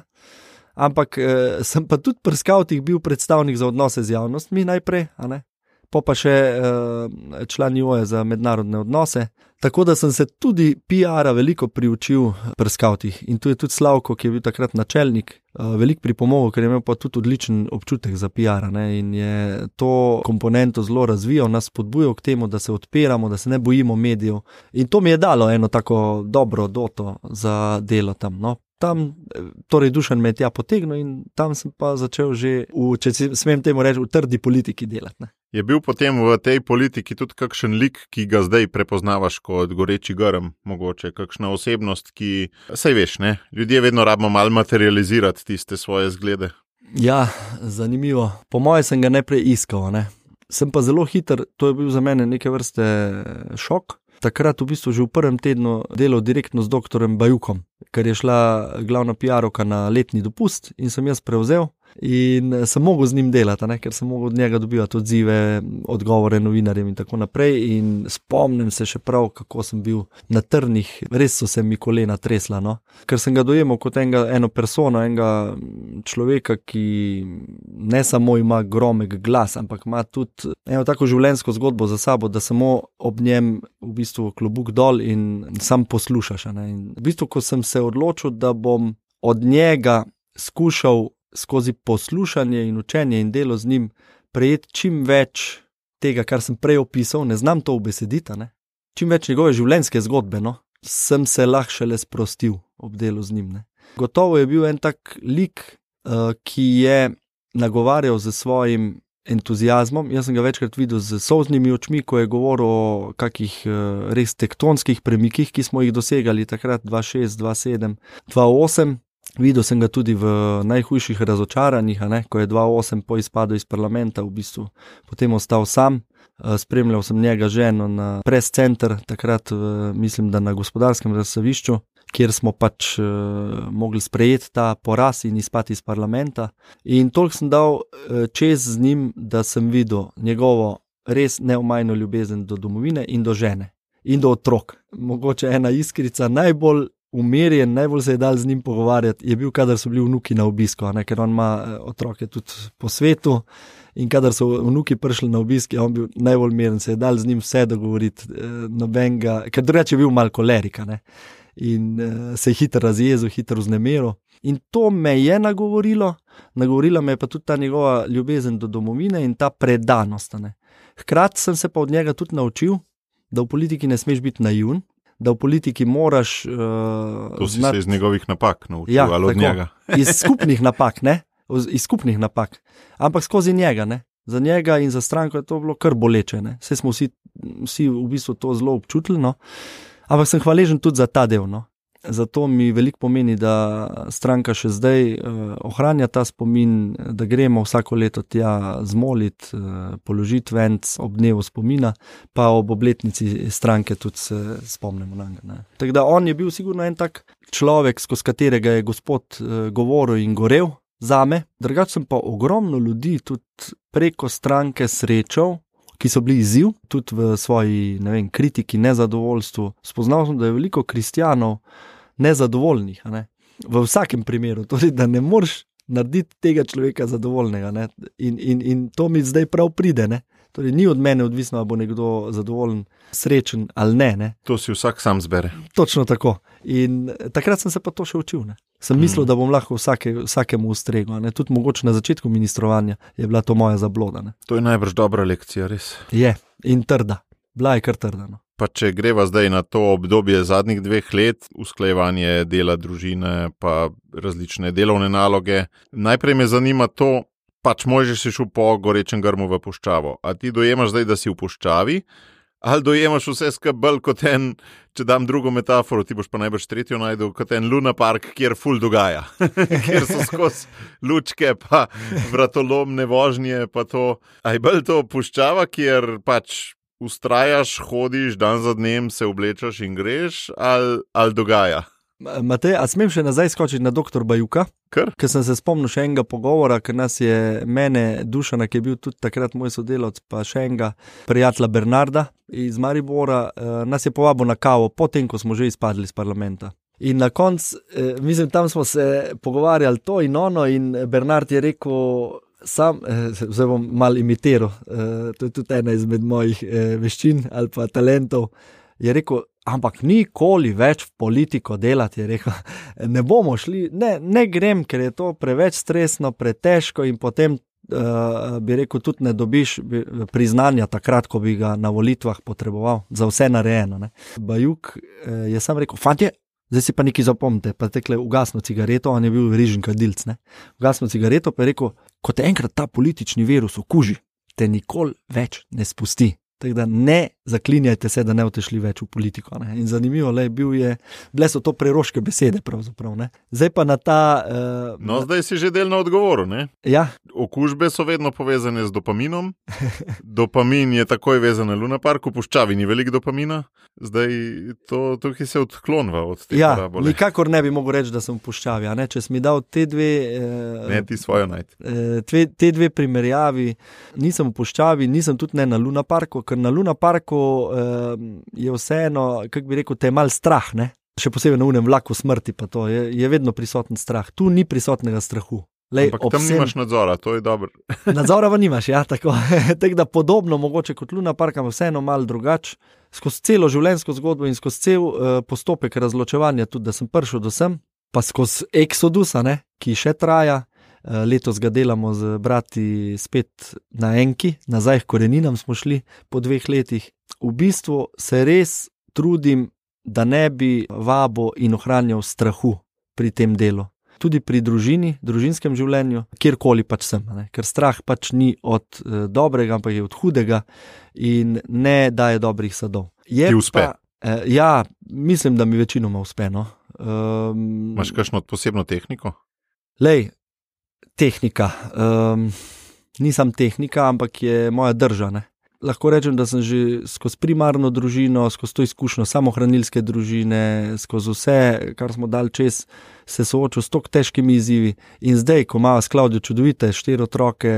ampak uh, sem pa tudi pri skavtih bil predstavnik za odnose z javnostmi najprej, a ne? Po pa še uh, član N I O-ja za mednarodne odnose. Tako da sem se tudi P R-a veliko priučil pri skavtih. In tu je tudi Slavko, ki je bil takrat načelnik, uh, veliko pripomogel, ker je imel pa tudi odličen občutek za P R-a. Ne? In je to komponento zelo razvijal, nas spodbujal k temu, da se odpiramo, da se ne bojimo medijev. In to mi je dalo eno tako dobro doto za delo tam. No? tam, torej Dušan me je tja potegnil in tam sem pa začel že, v, če smem temu reči, v trdi politiki delati. Ne. Je bil potem v tej politiki tudi kakšen lik, ki ga zdaj prepoznavaš kot goreči grm, mogoče kakšna osebnost, ki, saj veš, ne, ljudje vedno rabimo malo materializirati tiste svoje zglede. Ja, zanimivo. Po moje sem ga najprej iskal, ne. Sem pa zelo hiter, to je bil za mene neke vrste šok. Takrat v bistvu že v prvem tednu delal direktno z doktorjem Bajukom, ker je šla glavna piarovka na letni dopust in sem jaz prevzel. In sem mogel z njim delati, ne? Ker sem mogel od njega dobivati odzive, odgovore novinarjem in tako naprej. In spomnim se še prav, kako sem bil na trnih, res so se mi kolena tresla. No? Ker sem ga dojemal kot enega, eno persono, enega človeka, ki ne samo ima gromek glas, ampak ima tudi eno tako življenjsko zgodbo za sabo, da samo ob njem v bistvu klobuk dol in sam poslušaš. Ne? In v bistvu, ko sem se odločil, da bom od njega skušal skozi poslušanje in učenje in delo z njim prejeti čim več tega, kar sem prej opisal, ne znam to ubesediti, ne? Čim več njegove življenjske zgodbe, no? Sem se lahko šele sprostil ob delu z njim. Ne? Gotovo je bil en tak lik, uh, ki je nagovarjal z svojim entuziazmom. Jaz sem ga večkrat videl z solznimi očmi, ko je govoril o kakih uh, res tektonskih premikih, ki smo jih dosegali takrat dva šest, dva sedem, dva osem. Videl sem ga tudi v najhujših razočaranjih, ne, ko je dva osem po izpadu iz parlamenta v bistvu potem ostal sam. Spremljal sem njega ženo na press center, takrat mislim, da na Gospodarskem razstavišču, kjer smo pač uh, mogli sprejeti ta poraz in izpati iz parlamenta. In toliko sem dal uh, čez z njim, da sem videl njegovo res neomajno ljubezen do domovine in do žene in do otrok. Mogoče ena iskrica, najbolj umirjen, najbolj se je dal z njim pogovarjati, je bil, kadar so bili vnuki na obisku, ne, ker on ima otroke tudi po svetu in kadar so vnuki prišli na obisk, je on bil najbolj miren, se je dal z njim vse dogovoriti, nobenega, ker drugače je bil malo kolerika, ne, in se je hitro razjezil, hitro vznemiril. In to me je nagovorilo, nagovorila me je pa tudi ta njegova ljubezen do domovine in ta predanost. Ne. Hkrati sem se pa od njega tudi naučil, da v politiki ne smeš biti naivn, da v politiki moraš... Uh, to si znat... se iz njegovih napak naučil, ja, ali od tako, njega? Iz skupnih napak, ne? Iz skupnih napak. Ampak skozi njega, ne? Za njega in za stranko je to bilo kar boleče, ne? Saj smo vsi, vsi v bistvu to zelo občutili, no? Ampak sem hvaležen tudi za ta del, no? Zato mi veliko pomeni, da stranka še zdaj uh, ohranja ta spomin, da gremo vsako leto tja zmolit, uh, položiti venc ob dnevu spomina, pa ob obletnici stranke tudi se spomnimo na njega. Tako da on je bil sigurno en tak človek, skozi katerega je Gospod uh, govoril in gorel zame. Drugače sem pa ogromno ljudi tudi preko stranke srečal, ki so bili izziv, tudi v svoji, ne vem, kritiki, nezadovoljstvu. Spoznal sem, da je veliko kristjanov nezadovoljnih, ne? V vsakem primeru, torej, da ne moreš narediti tega človeka zadovoljnega, ne? In, in, in to mi zdaj prav pride, ne? Torej, ni od mene odvisno, ali bo nekdo zadovoljen, srečen ali ne, ne? To si vsak sam zbere. Točno tako. In takrat sem se pa to še učil, ne? Sem mislil, mm. da bom lahko vsake, vsakemu ustregel, ne? Tudi mogoče na začetku ministrovanja je bila to moja zabloda, ne? To je najbrž dobra lekcija, res. Je, in trda. Bila je kar trda, no. Pa če greva zdaj na to obdobje zadnjih dveh let, usklajevanje dela družine, pa različne delovne naloge, najprej me zanima to, pač možeš si šel po gorečem grmu v puščavo. A ti dojemaš zdaj, da si v puščavi, ali dojemaš vse skabel kot en, če dam drugo metaforo, ti boš pa najbrž tretjo najdel, kot en Luna Park, kjer ful dogaja, kjer so skozi lučke, pa vratolomne vožnje, pa to. A je bolj to puščava, kjer pač ustrajaš, hodiš, dan za dnem se oblečaš in greš, ali, ali dogaja? Matej, a smem še nazaj skočiti na doktor Bajuka? Ker? Ker sem se spomnil še enega pogovora, ker nas je mene, Dušana, ki je bil tudi takrat moj sodelavec, pa še enega prijatelja Bernarda iz Maribora, nas je povabil na kavo, potem, ko smo že izpadli iz parlamenta. In na koncu, mislim, tam smo se pogovarjali to in ono in Bernard je rekel... Sam, zdaj bom malo imitiral, to je tudi ena izmed mojih veščin ali pa talentov, je rekel, ampak nikoli več v politiko delati, je rekel, ne bomo šli, ne, ne grem, ker je to preveč stresno, pretežko in potem, uh, bi rekel, tudi ne dobiš priznanja takrat, ko bi ga na volitvah potreboval, za vse narejeno. Ne. Bajuk je sam rekel, fantje, Zdaj si pa nekaj zapomnite, pa tekle ugasno cigareto, on je bil rižen kadilc, ne. Ugasno cigareto pa je rekel, ko te enkrat ta politični virus okuži, te nikoli več ne spusti. Tako da ne zaklinjajte se, da ne boste šli več v politiko. Ne. In zanimivo, le, bil je, bile so to preroške besede pravzaprav. Ne. Zdaj pa na ta... Uh, no, na... zdaj si že delno odgovoril, ne? Ja. Okužbe so vedno povezane z dopaminom. Dopamin je takoj vezan na Luna Parku, v puščavi ni veliko dopamina. Zdaj to tukaj se odklonva od tega. Ja, rabole. nikakor ne bi mogel reči, da sem v puščavi. A ne? Če si mi dal te dve... Uh, ne, ti svojo najti. Uh, tve, te dve primerjavi, nisem v puščavi, nisem tudi ne na Luna Parku, ker na Luna Parku uh, je vseeno, kako bi rekel, te je mal strah, ne? Še posebej na unem vlaku smrti pa to, je, je vedno prisoten strah. Tu ni prisotnega strahu. Lej, Ampak tam vsem... nimaš nadzora, to je dobro. Nadzora pa nimaš, ja, tako. Tako da podobno mogoče kot Luna Park, ampak vseeno malo drugače. Skozi celo življenjsko zgodbo in skozi cel uh, postopek razločevanja, tudi da sem prišel do sem, pa skozi Exodusa, ne, ki še traja. Uh, letos ga delamo z brati spet na enki, nazaj k koreninam smo šli po dveh letih. V bistvu se res trudim, da ne bi vabo in ohranjal strahu pri tem delu. Tudi pri družini, družinskem življenju, kjerkoli pač sem, ne? Ker strah pač ni od e, dobrega, ampak je od hudega in ne daje dobrih sadov. Je Ti uspe? Pa, e, ja, mislim, da mi večinoma uspe. No? Um, Imaš kakšno posebno tehniko? Lej, tehnika. Um, nisem tehnika, ampak je moja drža. Ne? Lahko rečem, da sem že skozi primarno družino, skozi to izkušnjo samohranilske družine, skozi vse, kar smo dali čez, se soočil s tako težkimi izzivi. In zdaj, ko ima s Klavdijo čudovite štiri otroke,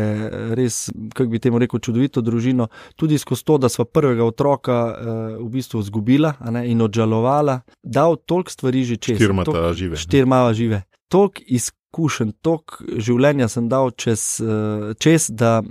res, kako bi temu rekel, čudovito družino, tudi skozi to, da sva prvega otroka uh, v bistvu izgubila, a ne, in odžalovala, dal toliko stvari že čez. Štirma ta žive. Štirma žive. Toliko izkušenj, toliko življenja sem dal čez, uh, čez da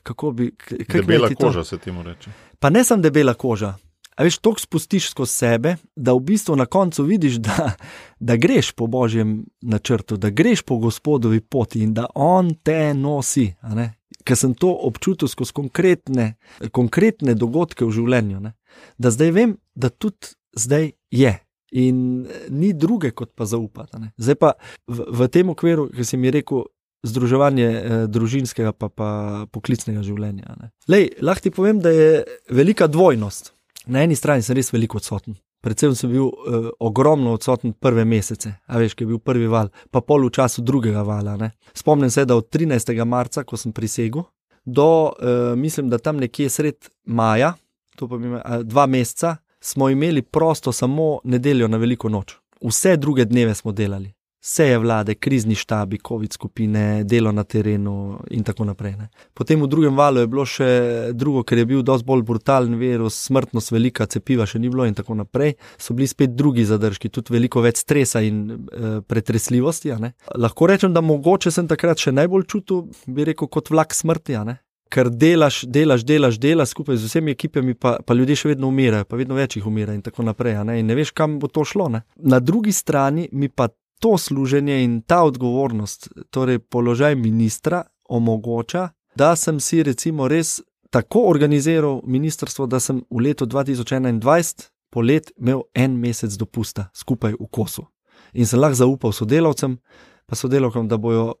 kako bi... Kak debela koža se temu reče. Pa ne sem debela koža. A veš, toliko spustiš skozi sebe, da v bistvu na koncu vidiš, da, da greš po Božjem načrtu, da greš po Gospodovi poti in da on te nosi. A ne? Ker sem to občutil skozi konkretne, konkretne dogodke v življenju. Ne? Da zdaj vem, da tudi zdaj je. In ni druge kot pa zaupati. Ne? Zdaj pa v, v tem okviru, ki si mi rekel, združevanje eh, družinskega pa, pa poklicnega življenja. Ne. Lej, lahko ti povem, da je velika dvojnost. Na eni strani sem res veliko odsoten. Predvsem sem bil eh, ogromno odsoten prve mesece, a veš, ki je bil prvi val, pa pol v času drugega vala. Ne. Spomnim se, da od trinajstega marca, ko sem prisegel, do, eh, mislim, da tam nekje sred maja, to pa ima, eh, dva meseca, smo imeli prosto samo nedeljo na veliko noč. Vse druge dneve smo delali. Seje vlade, krizni štabi, covid skupine, delo na terenu in tako naprej. Ne. Potem v drugem valu je bilo še drugo, ker je bil dosti bolj brutalen virus, smrtnost velika, cepiva še ni bilo in tako naprej. So bili spet drugi zadržki, tudi veliko več stresa in e, pretresljivosti. A ne. Lahko rečem, da mogoče sem takrat še najbolj čutil, bi rekel, kot vlak smrti, a ne. Ker delaš, delaš, delaš, delaš skupaj z vsemi ekipami, pa, pa ljudje še vedno umirajo, pa vedno več jih umira in tako naprej. A ne. In ne veš, kam bo to šlo. Ne. Na drugi strani mi pa to služenje in ta odgovornost, torej položaj ministra, omogoča, da sem si recimo res tako organiziral ministrstvo, da sem v letu dva tisoč enaindvajset polet imel en mesec dopusta skupaj v kosu. In sem lahko zaupal sodelavcem, pa sodelavkam, da bojo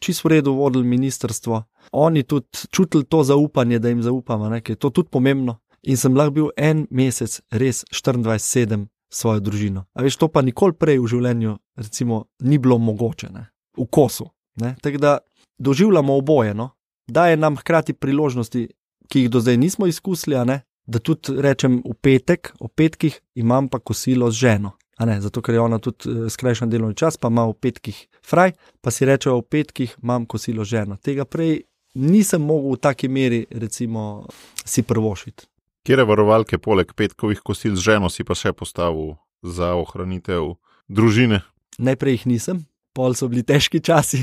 čisto v redu vodili ministrstvo. Oni tudi čutili to zaupanje, da jim zaupamo, ne, ker je to tudi pomembno. In sem lahko bil en mesec res štiriindvajset sedem svojo družino. A veš, to pa nikoli prej v življenju recimo ni bilo mogoče, ne? V kosu. Ne? Tako da doživljamo oboje, no? Daje nam hkrati priložnosti, ki jih do zdaj nismo izkusili, a ne? Da tudi rečem v petek, o petkih imam pa kosilo z ženo. A ne? Zato, ker je ona tudi skrajšan delovni čas, pa ima v petkih fraj, pa si reče, v petkih imam kosilo z ženo. Tega prej nisem mogel v taki meri recimo si prvošiti. Kjere varovalke poleg petkovih kosil z ženo si pa še postavil za ohranitev družine? Najprej jih nisem, pol so bili težki časi,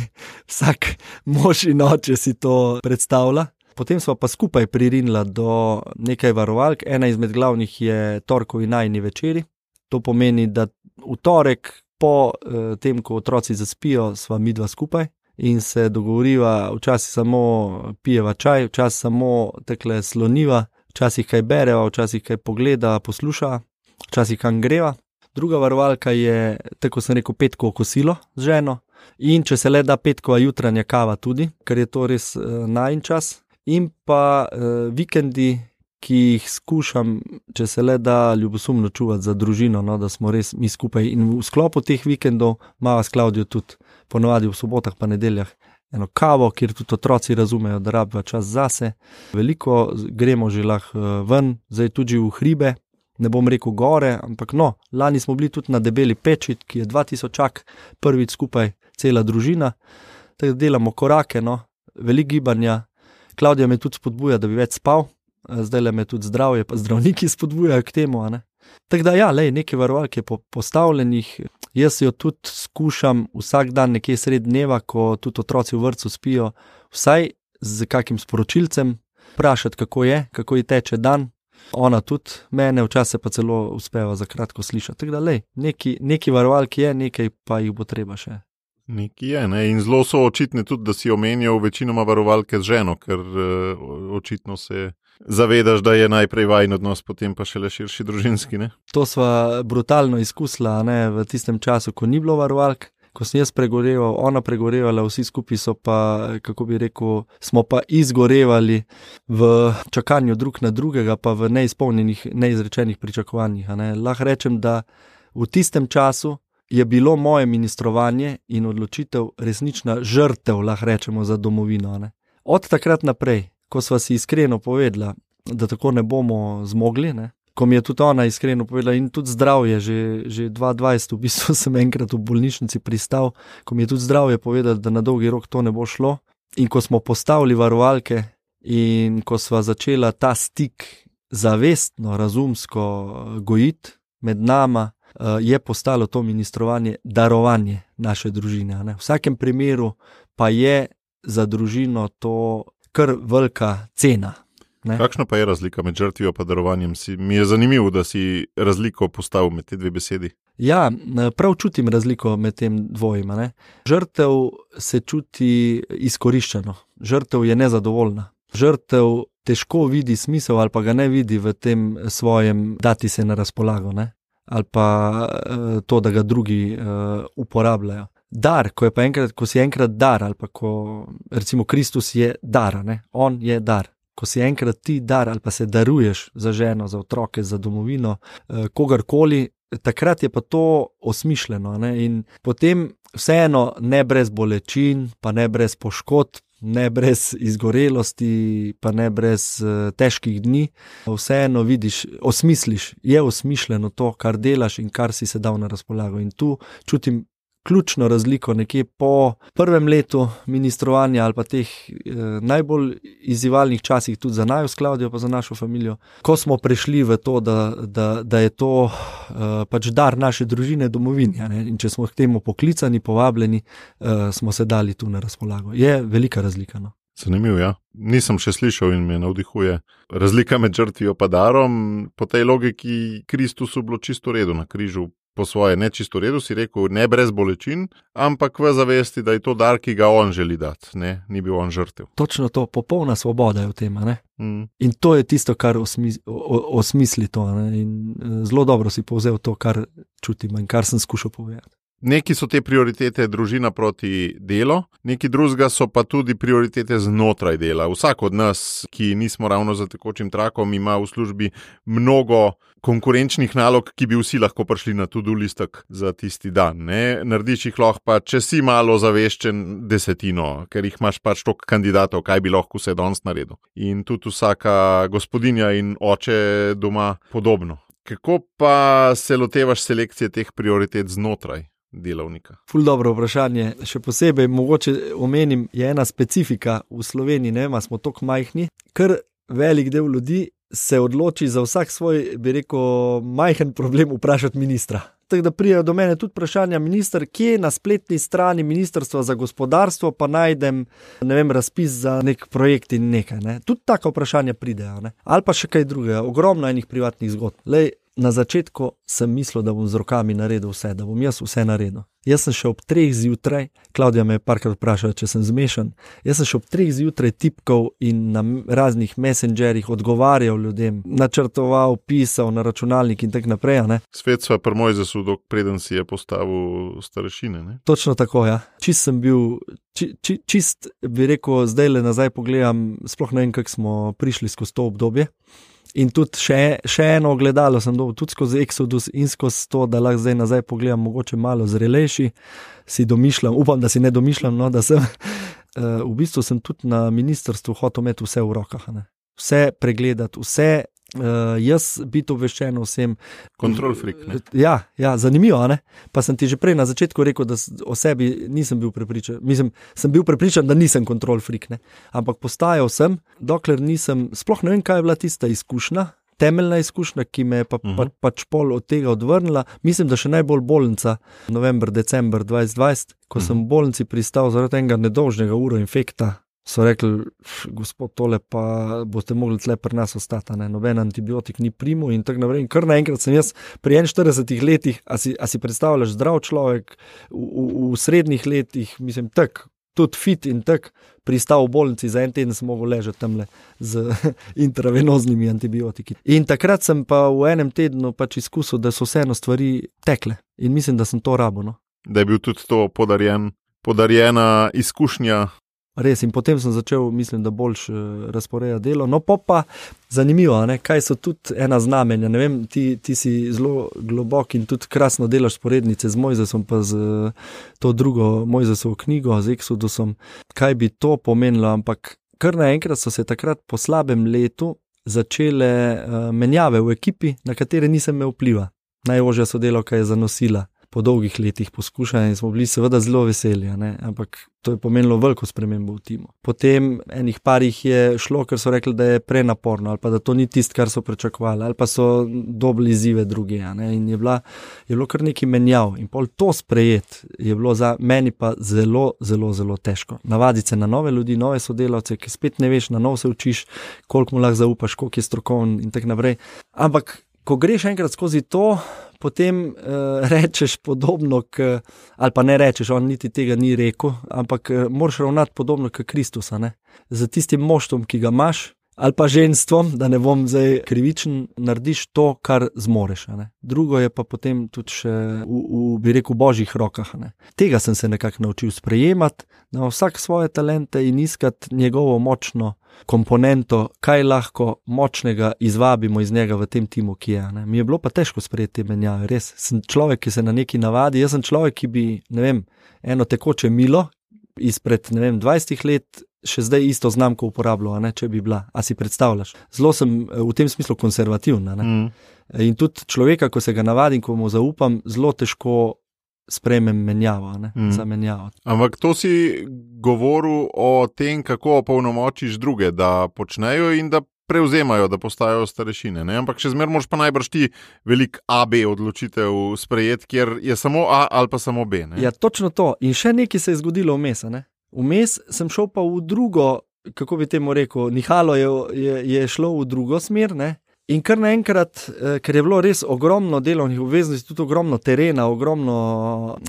vsak mož in oče si to predstavlja. Potem sva pa skupaj pririnila do nekaj varovalk, ena izmed glavnih je torkovi najini večeri. To pomeni, da v torek po eh, tem, ko otroci zaspijo, sva midva skupaj in se dogovoriva, včasih samo pijeva čaj, včasih samo tekle sloniva, včasih kaj bereva, včasih kaj pogleda, posluša, včasih kam greva. Druga varovalka je, tako sem rekel, petkovo kosilo z ženo in če se le da petkova jutranja kava tudi, ker je to res uh, najin čas. In pa uh, vikendi, ki jih skušam, če se le da, ljubosumno čuvati za družino, no, da smo res mi skupaj. In v sklopu teh vikendov imava s Klavdijo tudi ponovadi v sobotah pa nedeljah eno kavo, kjer tudi otroci razumejo, da rabijo čas zase. Veliko gremo že lahko ven, zdaj tudi v hribe, ne bom rekel gore, ampak no, lani smo bili tudi na Debeli peči, ki je dva tisočak, prvič skupaj cela družina, tako da delamo korake, no, veliko gibanja. Klavdija me tudi spodbuja, da bi več spal, zdaj le me tudi zdravje, pa zdravniki spodbujajo k temu, a ne. Tako da ja, lej, nekaj varovalk je po, postavljenih, jaz jo tudi skušam vsak dan nekje sred dneva, ko tudi otroci v vrtcu spijo, vsaj z kakim sporočilcem, vprašati, kako je, kako ji teče dan, ona tudi mene, včasih pa celo uspeva za kratko slišati. Tako da lej, neki, neki varovalk je, nekaj pa jih bo treba še. Nekaj je, ne? In zelo so očitne tudi, da si omenjal večinoma varovalke z ženo, ker uh, očitno se zavedaš, da je najprej vajin odnos, potem pa šele širši družinski, ne? To sva brutalno izkusila, ne, v tistem času, ko ni bilo varovalk, ko sem jaz pregoreval, ona pregorevala, vsi skupaj so pa, kako bi rekel, smo pa izgorevali v čakanju drug na drugega, pa v neizpolnjenih, neizrečenih pričakovanjih, ne. Lahko rečem, da v tistem času je bilo moje ministrovanje in odločitev resnična žrtev, lahko rečemo, za domovino, ne. Od takrat naprej, ko sva si iskreno povedala, da tako ne bomo zmogli, ne? Ko mi je tudi ona iskreno povedala in tudi zdravje, že, že dva tisoč dvajset v bistvu sem enkrat v bolnišnici pristal, ko mi je tudi zdravje povedala, da na dolgi rok to ne bo šlo in ko smo postavili varovalke in ko sva začela ta stik zavestno, razumsko gojiti med nama, je postalo to ministrovanje darovanje naše družine, ne? V vsakem primeru pa je za družino to kar velika cena. Ne? Kakšna pa je razlika med žrtvijo pa darovanjem? Si, mi je zanimivo, da si razliko postavil med te dve besedi. Ja, prav čutim razliko med tem dvojima. Ne? Žrtev se čuti izkoriščeno. Žrtev je nezadovoljna. Žrtev težko vidi smisel ali pa ga ne vidi v tem svojem dati se na razpolago, ne? Ali pa to, da ga drugi uh, uporabljajo. Dar, ko je pa enkrat, ko si enkrat dar, ali pa ko, recimo Kristus je dar, ne? On je dar. Ko si enkrat ti dar, ali pa se daruješ za ženo, za otroke, za domovino, eh, kogarkoli, takrat je pa to osmišljeno, ne? In potem vseeno ne brez bolečin, pa ne brez poškodb, ne brez izgorelosti, pa ne brez uh, težkih dni, vseeno vidiš, osmisliš, je osmišljeno to, kar delaš in kar si se dal na razpolago. In tu čutim ključno razliko nekje po prvem letu ministrovanja ali pa teh eh, najbolj izzivalnih časih tudi za naju s Klavdijo pa za našo familijo, ko smo prišli v to, da, da, da je to eh, pač dar naše družine domovinja, ne? In če smo k temu poklicani, povabljeni, eh, smo se dali tu na razpolago. Je velika razlika, no. Zanimivo, ja. Nisem še slišal in me navdihuje. Razlika med žrtvijo pa darom, po tej logiki Kristusu bilo čisto redo na križu. Po svoje ne čisto redu, si rekel, ne brez bolečin, ampak v zavesti, da je to dar, ki ga on želi dati, ne, ni bil on žrtev. Točno to, popolna svoboda je v tem, ne. Mm. In to je tisto, kar osmisli, osmisli to, ne. In zelo dobro si povzel to, kar čutim in kar sem skušal povedati. Neki so te prioritete družina proti delo, neki drugega so pa tudi prioritete znotraj dela. Vsak od nas, ki nismo ravno za tekočim trakom, ima v službi mnogo konkurenčnih nalog, ki bi vsi lahko prišli na to-do listek za tisti dan. Ne? Narediš jih lahko pa, če si malo zaveščen, desetino, ker jih imaš pač toliko kandidatov, kaj bi lahko vse danes naredil. In tudi vsaka gospodinja in oče doma podobno. Kako pa se lotevaš selekcije teh prioritet znotraj delavnika? Ful dobro vprašanje. Še posebej mogoče omenim, je ena specifika v Sloveniji, ne vem, smo toliko majhni, ker velik del ljudi se odloči za vsak svoj, bi rekel, majhen problem vprašati ministra. Tako da prijajo do mene tudi vprašanja, minister, kje na spletni strani Ministrstva za gospodarstvo pa najdem, ne vem, razpis za nek projekt in nekaj, ne. Tudi taka vprašanja pridejo, ne. Ali pa še kaj drugega, ogromno enih privatnih zgodb. Lej, na začetku sem mislil, da bom z rokami naredil vse, da bom jaz vse naredil. Jaz sem še ob treh zjutraj, Klavdija me je parkrat vprašala, če sem zmešan, jaz sem še ob treh zjutraj tipkal in na raznih messengerjih odgovarjal ljudem, načrtoval, pisal na računalnik in tak naprej. Ne? Svet sva pri Mojzesu, dok preden si je postavil starešine. Ne? Točno tako, ja. Čist sem bil, či, či, čist bi rekel, zdaj le nazaj pogledam, sploh ne vem, kako smo prišli skozi to obdobje. In tudi še, še eno ogledalo sem dobil, tudi skozi Exodus in skozi to, da lahko zdaj nazaj pogledam, mogoče malo zrelejši, si domišljam, upam, da si ne domišljam, no, da sem, uh, v bistvu sem tudi na ministrstvu hotel imeti vse v rokah, ne. Vse pregledati, vse, uh, jaz biti obveščen vsem. Control freak, ne? Ja, ja, zanimivo, ne? Pa sem ti že prej na začetku rekel, da o sebi nisem bil prepričan, mislim, sem bil prepričan, da nisem control freak, ne? Ampak postajal sem, dokler nisem, sploh ne vem, kaj je bila tista izkušnja, temeljna izkušnja, ki me je pa, pa, pač pol od tega odvrnila. Mislim, da še najbolj bolnica, november, december dvajset dvajset, ko sem v bolnici pristal zaradi enega nedolžnega uroinfekta, so rekli, gospod, tole pa boste mogli tle pri nas ostati, ne? Noben antibiotik ni primu in tako naprej. In kar naenkrat sem jaz pri enainštiridesetih letih, a si, a si predstavljaš zdrav človek, v, v, v srednjih letih, mislim, tak, tudi fit in tak, pristal v bolnici, za en teden sem mogel ležati tamle z intravenoznimi antibiotiki. In takrat sem pa v enem tednu pač izkusil, da so vseeno stvari tekle in mislim, da sem to rabil, no. Da je bil tudi to podarjen, podarjena izkušnja. Res, in potem sem začel, mislim, da boljš razporeja delo. No, pa pa zanimivo, ne, kaj so tudi ena znamenja, ne vem, ti, ti si zelo globok in tudi krasno delaš sporednice z Mojzesom, pa z to drugo Mojzesovo knjigo, z Exodusom, kaj bi to pomenilo, ampak kar naenkrat so se takrat po slabem letu začele uh, menjave v ekipi, na katere nisem imel vpliva. Najožja sodelavka je zanosila po dolgih letih poskušanja in smo bili seveda zelo veseli, ne? Ampak to je pomenilo veliko spremembo v timu. Potem enih parih je šlo, ker so rekli, da je prenaporno ali pa da to ni tisto, kar so pričakovali ali pa so dobili izzive druge, ne? In je, bila, je bilo kar nekaj menjav in pol to sprejet je bilo za meni pa zelo, zelo, zelo težko. Navaditi se na nove ljudi, nove sodelavce, ki spet ne veš, na nov se učiš, koliko mu lahko zaupaš, koliko je strokoven in tako naprej. Ampak ko greš enkrat skozi to, potem uh, rečeš podobno, k, ali pa ne rečeš, on niti tega ni rekel, ampak uh, moraš ravnati podobno k Kristusa, ne? Z tistim moštvom, ki ga imaš, ali pa ženstvom, da ne bom zdaj krivičen, narediš to, kar zmoreš. Ne? Drugo je pa potem tudi še v, v, bi rekel, božjih rokah. Ne? Tega sem se nekako naučil sprejemati, na vsak svoje talente in iskati njegovo močno komponento, kaj lahko močnega izvabimo iz njega v tem timu, ki je. Ne? Mi je bilo pa težko sprejeti te menjave, res. Sem človek, ki se na neki navadi, jaz sem človek, ki bi, ne vem, eno tekoče milo izpred, ne vem, dvajsetih let še zdaj isto znamko uporabljal, ne, če bi bila. A si predstavljaš? Zelo sem v tem smislu konservativna. Ne? Mm. In tudi človeka, ko se ga navadim, ko mu zaupam, zelo težko sprejmem menjavo, ne, mm. za menjavo. Ampak to si govoril o tem, kako opolnomočiš druge, da počnejo in da prevzemajo, da postajajo starešine. Ne? Ampak še zmer moraš pa najbrž ti velik A B odločitev sprejeti, kjer je samo A ali pa samo B. Ne? Ja, točno to. In še nekaj se je zgodilo vmes, ne? Vmes sem šel pa v drugo, kako bi temu rekel, nihalo je, je, je šlo v drugo smer, ne? In kar naenkrat, ker je bilo res ogromno delovnih obveznosti, tudi ogromno terena, ogromno,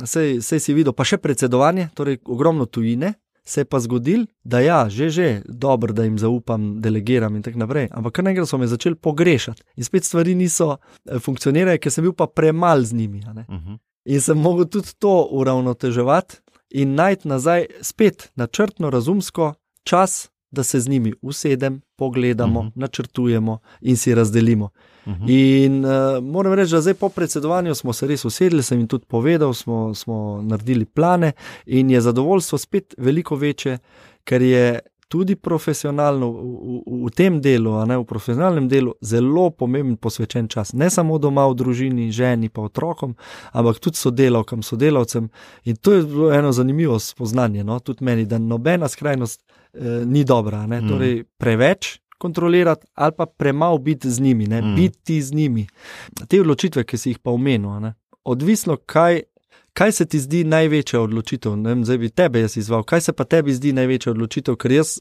sej, sej si videl, pa še predsedovanje, torej ogromno tujine, se je pa zgodil, da ja, že, že, dobro, da jim zaupam, delegiram in tako naprej, ampak kar naenkrat so me začeli pogrešati in spet stvari niso funkcionirale, ker sem bil pa premal z njimi. Ne? Uh-huh. In sem mogel tudi to uravnoteževati in najti nazaj spet načrtno, razumsko čas, da se z njimi usedem, pogledamo, uh-huh. načrtujemo in si razdelimo. Uh-huh. In uh, moram reči, da zdaj po predsedovanju smo se res usedli, sem jim tudi povedal, smo, smo naredili plane in je zadovoljstvo spet veliko večje, ker je tudi profesionalno v, v, v tem delu, a ne v profesionalnem delu, zelo pomemben posvečen čas. Ne samo doma v družini, ženi pa otrokom, ampak tudi sodelavkam, sodelavcem. In to je bilo eno zanimivo spoznanje, no? Tudi meni, da nobena skrajnost eh, ni dobra. Ne? Mm. Torej preveč kontrolirati ali pa premalo biti z njimi, ne? Mm. biti z njimi. Te odločitve, ki si jih pa omenil, ne? Odvisno, kaj Kaj se ti zdi največja odločitev? Ne vem, zdaj bi tebe jaz izval. Kaj se pa tebi zdi največja odločitev? Ker jaz,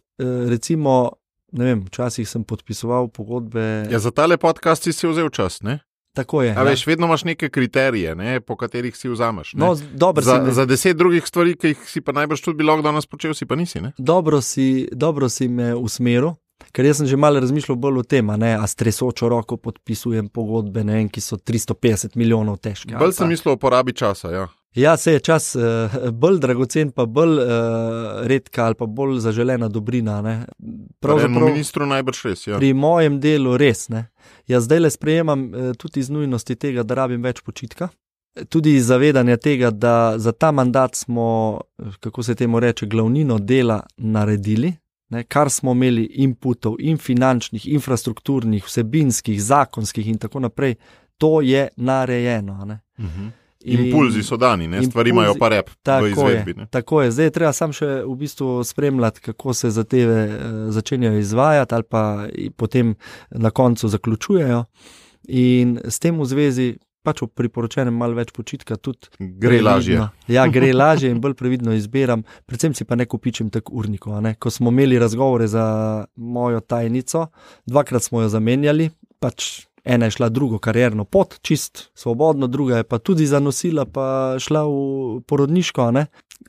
recimo, ne vem, včasih sem podpisoval pogodbe... Ja, za tale podcast si si vzel čas, ne? Tako je. A veš, vedno imaš neke kriterije, ne, po katerih si vzameš. Ne? No, dobro za, si me... za deset drugih stvari, ki jih si pa najbrž tudi bi lahko danes počel, si pa nisi. Ne? Dobro si, dobro si me usmeril, ker jaz sem že malo razmišljal bolj o tem, a, ne, a s tresočo roko podpisujem pogodbe, ne vem, ki so tristo petdeset milijonov težke. Bolj sem mislil o porabi časa, ja. Ja, se je čas uh, bolj dragocen, pa bolj uh, redka ali pa bolj zaželena dobrina. Pravzaprav ministru najbrž res, ja. Pri mojem delu res, ne. Jaz zdaj le sprejemam uh, tudi iz nujnosti tega, da rabim več počitka. Tudi iz zavedanja tega, da za ta mandat smo, kako se temu reče, glavnino dela naredili, ne, kar smo imeli inputov in finančnih, infrastrukturnih, vsebinskih, zakonskih in tako naprej, to je narejeno. Ne. Uh-huh. Impulzi so dani, ne? Stvari imajo pa rep v izvedbi. Je, tako je, zdaj je treba sam še v bistvu spremljati, kako se zadeve uh, začenjajo izvajati ali pa potem na koncu zaključujejo in s tem v zvezi pač v priporočenem malo več počitka tudi gre lažje. Ja, gre lažje in bolj previdno izbiram, predvsem si pa ne kupičim tak urnikov. Ne? Ko smo imeli razgovore za mojo tajnico, dvakrat smo jo zamenjali, pač ena je šla drugo karierno pot, čist svobodno, druga je pa tudi zanosila, pa šla v porodniško. Ne?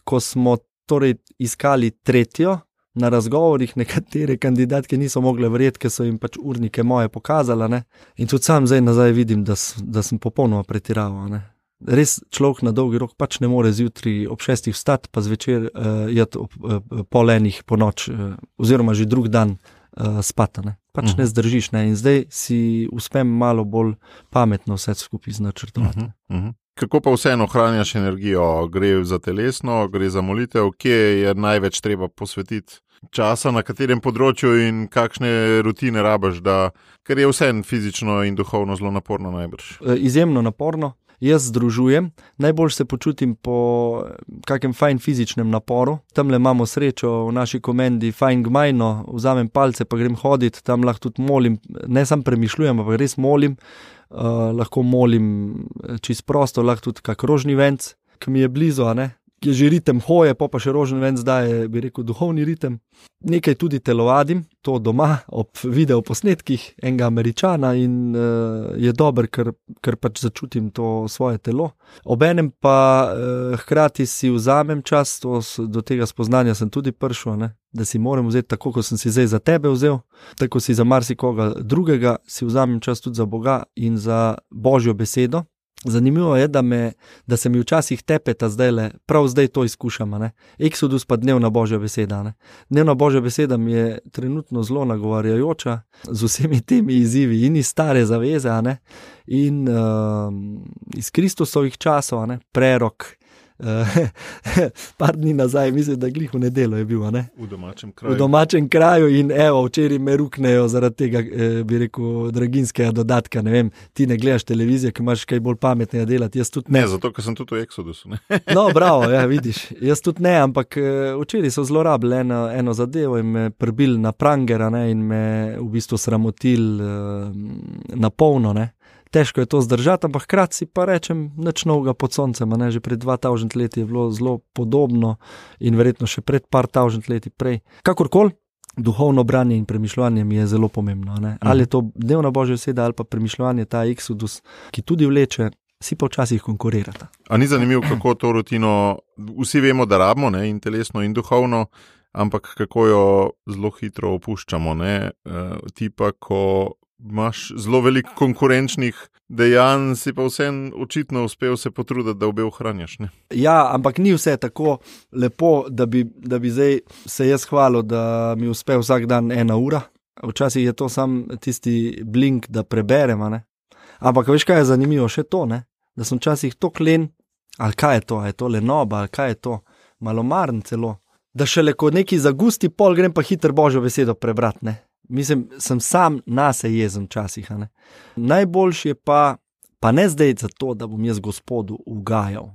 Ko smo torej iskali tretjo, na razgovorih nekatere kandidatke niso mogle verjeti, ker so jim pač urnike moje pokazala. Ne? In tudi sam zdaj nazaj vidim, da, da sem popolnoma pretiraval. Ne? Res človek na dolgi rok pač ne more zjutraj ob šestih vstati, pa zvečer uh, jeti ob uh, pol enih po noč, uh, oziroma že drug dan uh, spati. Ne? Pač uh-huh. ne zdržiš, ne? In zdaj si uspem malo bolj pametno vse skupaj značrtovati. Uh-huh. Uh-huh. Kako pa vseeno ohranjaš energijo? Gre za telesno, gre za molitev, kje je največ treba posvetiti časa, na katerem področju in kakšne rutine rabiš, da, ker je vseeno fizično in duhovno zelo naporno najbrž? Izjemno naporno. Jaz združujem, najbolj se počutim po kakem fajn fizičnem naporu. Tamle imamo srečo v naši komendi fajn gmajno, vzamem palce pa grem hoditi, tam lahko tudi molim, ne sam premišljujem, pa res molim, uh, lahko molim čist prosto, lahko tudi kak rožni venc, ki mi je blizu, a ne, ki je že ritem hoje, pa pa še rožni venc daje, bi rekel, duhovni ritem. Nekaj tudi telovadim, to doma, ob videoposnetkih enega Američana in uh, je dober, ker, ker pač začutim to svoje telo. Obenem pa uh, hkrati si vzamem čas, to, do tega spoznanja sem tudi prišel, ne? Da si moram vzeti tako, kot sem si zdaj za tebe vzel, tako si za marsikoga drugega, si vzamem čas tudi za Boga in za Božjo besedo. Zanimivo je, da, me, da se mi včasih tepeta zdajle, prav zdaj to izkušam. Ne? Exodus pa dnevna Božja beseda. Ne? Dnevna Božja beseda mi je trenutno zelo nagovarjajoča z vsemi temi izzivi in iz stare zaveze, ne? In uh, iz Kristusovih časov, ne? Prerok. Uh, par dni nazaj, mislim, da glih v nedeljo je bil, ne? V domačem kraju. V domačem kraju in evo, včeraj me ruknejo zaradi tega, eh, bi rekel, draginskega dodatka, ne vem, ti ne gledaš televizijo, ki imaš kaj bolj pametnega delati, jaz tudi ne. Ne, zato, ker sem tudi v Exodusu, ne? No, bravo, ja, vidiš, jaz tudi ne, ampak eh, včeraj so zlorabili eno, eno zadevo in me prbili na prangera, ne, in me v bistvu sramotili eh, na polno, ne. Težko je to zdržati, ampak hkrati si pa rečem nič novega pod soncem, ne, že pred dva tavžent leti je bilo zelo podobno in verjetno še pred par tavžent leti prej. Kakorkoli, duhovno branje in premišljanje mi je zelo pomembno, ne. Ali je to dnevna Božja beseda ali pa premišljanje, ta Exodus, ki tudi vleče, si pa včasih konkurirata. A ni zanimivo, kako to rutino, vsi vemo, da rabimo, ne, in telesno in duhovno, ampak kako jo zelo hitro opuščamo, ne, e, ti pa, ko imaš zelo veliko konkurenčnih dejanj, si pa vsem očitno uspel se potruditi, da obe ohranjaš, ne? Ja, ampak ni vse tako lepo, da bi, da bi zdaj se jaz hvalil, da mi uspe vsak dan ena ura. Včasih je to sam tisti blink, da preberem, ne? Ampak veš, kaj je zanimivo še to, ne? Da sem včasih tok len, ali kaj je to, ali je to lenoba, ali kaj je to, malomaren celo, da šele ko neki zagusti pol grem pa hiter Božjo besedo prebrat, ne? Mislim, sem sam nase jezen včasih. Ne? Najboljši je pa, pa ne zdaj zato, da bom jaz Gospodu ugajal,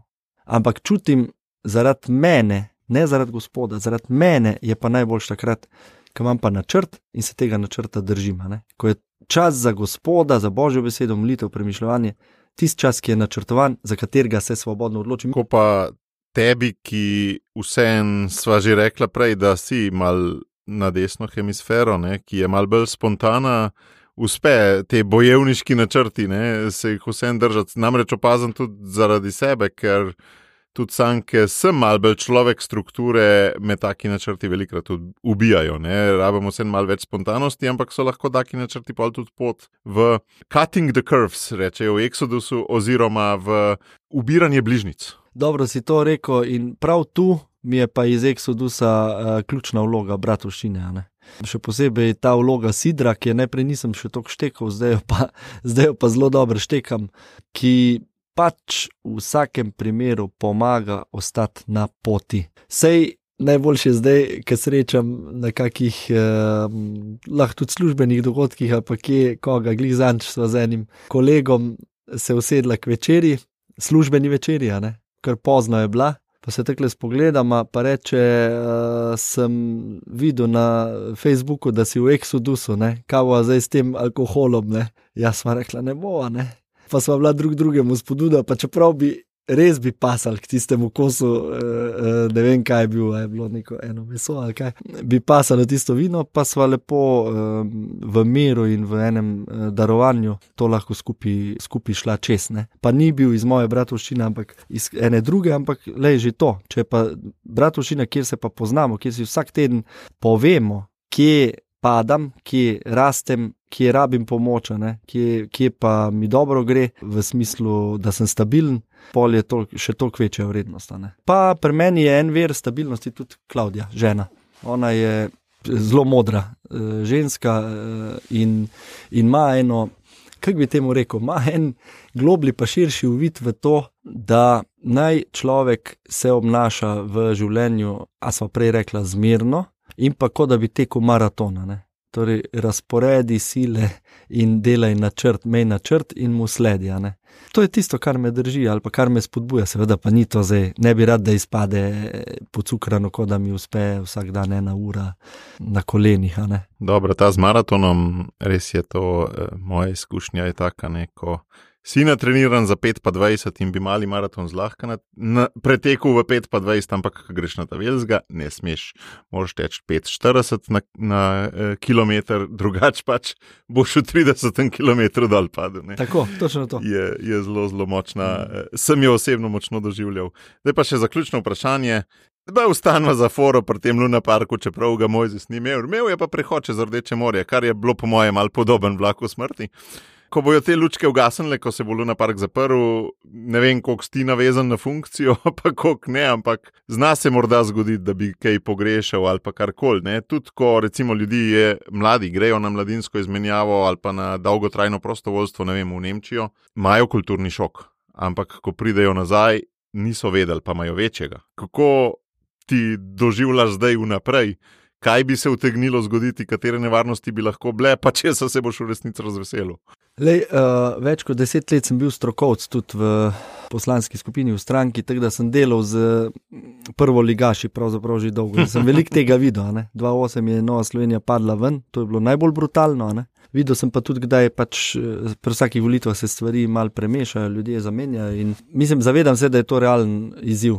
ampak čutim zaradi mene, ne zaradi Gospoda, zaradi mene je pa najboljši takrat, ko imam pa načrt in se tega načrta držim. Ne? Ko je čas za Gospoda, za Božjo besedo, molitev, premišljanje, tisti čas, ki je načrtovan, za katerega se svobodno odločim. Ko pa tebi, ki vsem sva že rekla prej, da si mal na desno hemisfero, ne, ki je malo bolj spontana, uspe te bojevniški načrti, ne, se jih vsem držati. Namreč opazim tudi zaradi sebe, ker tudi sam, ker sem malo bolj človek strukture, me taki načrti velikrat tudi ubijajo. Ne. Rabimo vsem malo več spontanosti, ampak so lahko taki načrti pol tudi pot v cutting the curves, rečejo v Exodusu, oziroma v ubiranje bližnjic. Dobro si to rekel in prav tu mi je pa iz Exodusa uh, ključna vloga bratovščine, ne. Še posebej ta vloga sidra, ki je najprej nisem še toliko štekal, zdaj jo pa, zdaj jo pa zelo dobro štekam, ki pač v vsakem primeru pomaga ostati na poti. Sej najboljše zdaj, ker srečam na kakih eh, lahko tudi službenih dogodkih, ali pa kje koga glih zanč sva z enim kolegom se usedla k večeri, službeni večeri, ne, ker pozno je bila, pa se takle spogledama, pa reče, uh, sem videl na Facebooku, da si v Exodusu, ne, kava zdaj s tem alkoholom, ne, jaz sva rekla, ne bova, ne. Pa sva bila drug drugemu spodbuda, pa čeprav bi res bi pasal k tistemu kosu, ne vem kaj je bil, je bilo neko eno meso ali kaj, bi pasalo tisto vino, pa sva lepo v miru in v enem darovanju to lahko skupaj, skupaj šla čez, ne. Pa ni bil iz moje bratovščine, ampak iz ene druge, ampak lej že to, če pa bratovščina, kjer se pa poznamo, kjer si vsak teden povemo, kje padam, kje rastem, kje rabim pomoč, ne, kje, kje pa mi dobro gre, v smislu, da sem stabilen, pol je to, še toliko večja vrednost. Ne. Pa pri meni je en ver stabilnosti tudi Klavdija, žena. Ona je zelo modra ženska in, in ima eno, kako bi temu rekel, ima en globli pa širši uvid v to, da naj človek se obnaša v življenju, a sva prej rekla, zmerno, in pa kot da bi tekel maratona, ne. Torej, razporedi sile in delaj načrt, mej načrt in mu sledi, ne. To je tisto, kar me drži ali pa kar me spodbuja, seveda pa ni to zdaj, ne bi rad, da izpade pocukrano, kot da mi uspe vsak dan ena ura na kolenih, ne. Dobro, ta z maratonom, res je to, moja izkušnja je taka, ne, ko si natreniran za pet pa dvajset in bi mali maraton zlahka na, na, pretekel v pet pa dvajset, ampak ko greš na ta velzga, ne smeš, moraš teči pet štirideset na, na eh, kilometer, drugač pač boš v tridesetem kilometru dol padel. Ne. Tako, točno to. Je, je zelo, zelo močna, mm. eh, sem jo osebno močno doživljal. Zdaj pa še zaključno vprašanje. Da ustanva za foro pri tem Luna Parku, čeprav ga Mojzes ni imel. Imel je pa prehod čez Rdeče morje, kar je bilo po mojem malo podoben vlaku smrti. Ko bojo te lučke ugasnile, ko se bo Luna Park zaprl, ne vem, koliko si navezan na funkcijo, pa koliko ne, ampak zna se morda zgoditi, da bi kaj pogrešal ali pa karkoli, ne. Tudi ko recimo ljudi je mladi, grejo na mladinsko izmenjavo ali pa na dolgotrajno prostovoljstvo, ne vem, v Nemčijo, imajo kulturni šok, ampak ko pridejo nazaj, niso vedeli, pa imajo večjega. Kako ti doživljaš zdaj vnaprej? Kaj bi se utegnilo zgoditi, katere nevarnosti bi lahko bile, pa če se boš v resnici razveselil? Lej, uh, več kot deset let sem bil strokovc tudi v poslanski skupini v stranki, tako da sem delal z prvoligaši pravzaprav že dolgo. Sem veliko tega videl, ne. dva tisoč osem je Nova Slovenija padla ven, to je bilo najbolj brutalno, ne. Videl sem pa tudi, kdaj pač pri vsakih volitvah se stvari malo premešajo, ljudje zamenjajo in mislim, zavedam se, da je to realen izziv,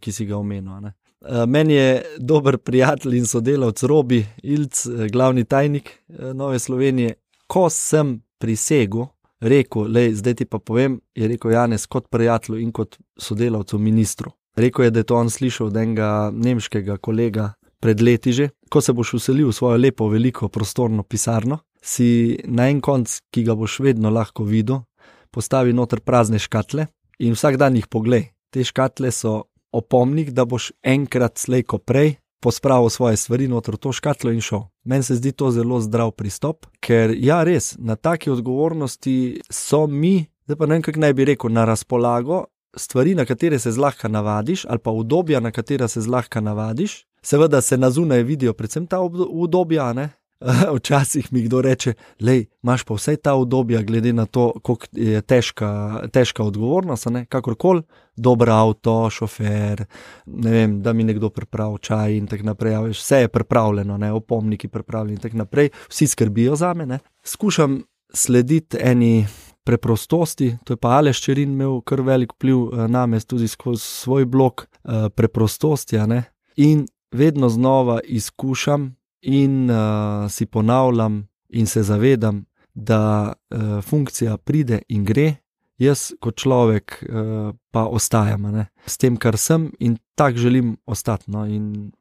ki si ga omenil, ne. Meni je dober prijatelj in sodelavc Robi Ilc, glavni tajnik Nove Slovenije. Ko sem prisegel, rekel, lej, zdaj ti pa povem, je rekel Janez kot prijatelju in kot sodelavcu ministru. Rekel je, da je to on slišal od enega nemškega kolega pred leti že. Ko se boš vselil v svojo lepo, veliko, prostorno pisarno, si na en konc, ki ga boš vedno lahko videl, postavi noter prazne škatle in vsak dan jih poglej. Te škatle so opomnik, da boš enkrat slej ko prej pospravil svoje stvari noter v to škatlo in šel. Meni se zdi to zelo zdrav pristop, ker ja res, na taki odgovornosti so mi, zdaj pa ne vem, kako naj bi rekel, na razpolago stvari, na katere se zlahka navadiš, ali pa udobja, na katera se zlahka navadiš. Seveda se na zunaj vidijo predvsem ta udobja, ne? Včasih mi kdo reče, lej, imaš pa vsej ta udobja, glede na to, koliko je težka, težka odgovornost, ne, kakorkoli, dober avto, šofer, ne vem, da mi nekdo pripravi čaj in tak naprej, veš, vse je pripravljeno, ne, opomniki pripravljeni in tak naprej, vsi skrbijo zame, ne. Skušam slediti eni preprostosti, to je pa Aleš Čerin imel kar velik vpliv name tudi skozi svoj blog preprostosti, ne, in vedno znova izkušam in uh, si ponavljam in se zavedam, da uh, funkcija pride in gre, jaz kot človek uh, pa ostajam, ne, s tem, kar sem in tak želim ostati. No, in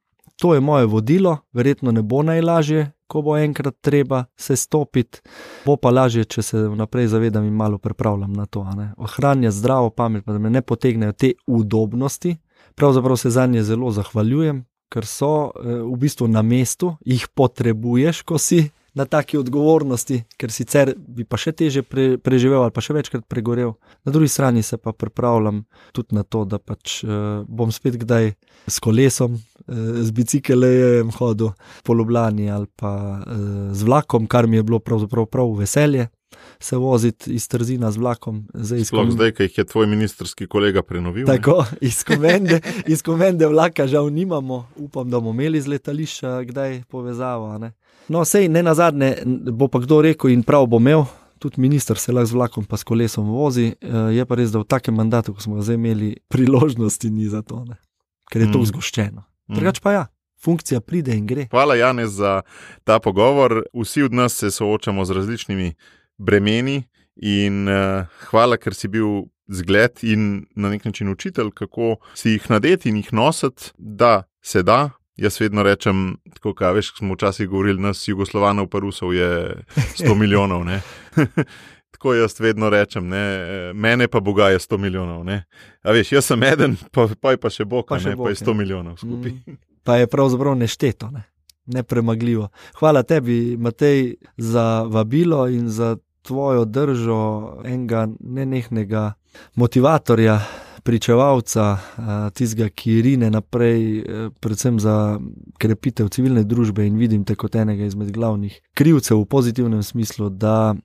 to je moje vodilo, verjetno ne bo najlažje, ko bo enkrat treba se stopiti, bo pa lažje, če se vnaprej zavedam in malo pripravljam na to. Ohranjati zdravo pamet, pa da me ne potegnejo te udobnosti, pravzaprav se zanje zelo zahvaljujem, ker so v bistvu na mestu, jih potrebuješ, ko si na taki odgovornosti, ker sicer bi pa še teže pre, preživel ali pa še večkrat pregorel. Na drugi strani se pa pripravljam tudi na to, da pač uh, bom spet kdaj s kolesom, uh, z biciklejem hodil po Ljubljani ali pa uh, z vlakom, kar mi je bilo pravzaprav prav veselje se voziti iz Trzina z vlakom. Zdaj, Sploh kom... zdaj, ko jih je tvoj ministrski kolega prenovil. Tako, iz komende, iz komende vlaka žal nimamo, upam, da bomo imeli z letališča kdaj povezavo, ne. No, sej ne nazadnje, bo pa kdo rekel in prav bo imel, tudi minister se lahko z vlakom pa s kolesom vozi, je pa res, da v takem mandatu, ko smo ga zdaj imeli, priložnosti ni za to, ne? Ker je to mm. zgoščeno. Mm. Drugač pa ja, funkcija pride in gre. Hvala, Janez, za ta pogovor. Vsi od nas se soočamo z različnimi bremeni in uh, hvala, ker si bil zgled in na nek način učitelj, kako si jih nadeti in jih nositi, da se da. Jaz vedno rečem, tako kaj veš, smo včasih govorili, nas Jugoslovanov pa Rusov je sto milijonov, ne. Tako jaz vedno rečem, ne, mene pa Boga je sto milijonov, ne. A veš, jaz sem eden, pa, pa je pa še Bog, pa, še ne, Bog, pa je sto milijonov skupaj. Mm, pa je pravzaprav nešteto, ne, nepremagljivo. Hvala tebi, Matej, za vabilo in za tvojo držo enega nenehnega motivatorja, pričevalca, tistega, ki rine naprej, predvsem za krepitev civilne družbe in vidim te kot enega izmed glavnih krivcev v pozitivnem smislu, da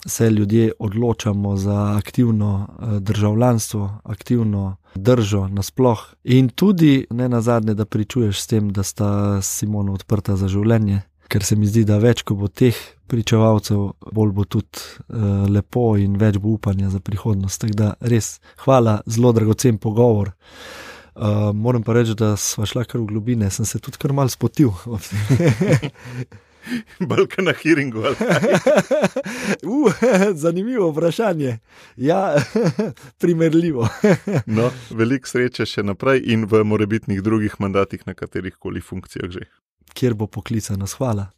se ljudje odločamo za aktivno državljanstvo, aktivno držo nasploh in tudi ne nazadnje, da pričuješ s tem, da sta Simona odprta za življenje, ker se mi zdi, da več, ko bo teh pričevalcev, bolj bo tudi uh, lepo in več bo upanja za prihodnost. Tako da res hvala, zelo dragocen pogovor. Uh, moram pa reči, da sva šla kar v globine, sem se tudi kar mal spotil. Balka na hearingu. uh, zanimivo vprašanje. Ja, primerljivo. No, veliko sreče še naprej in v morebitnih drugih mandatih na katerih koli funkcijah že. Kjer bo poklicanost. Hvala.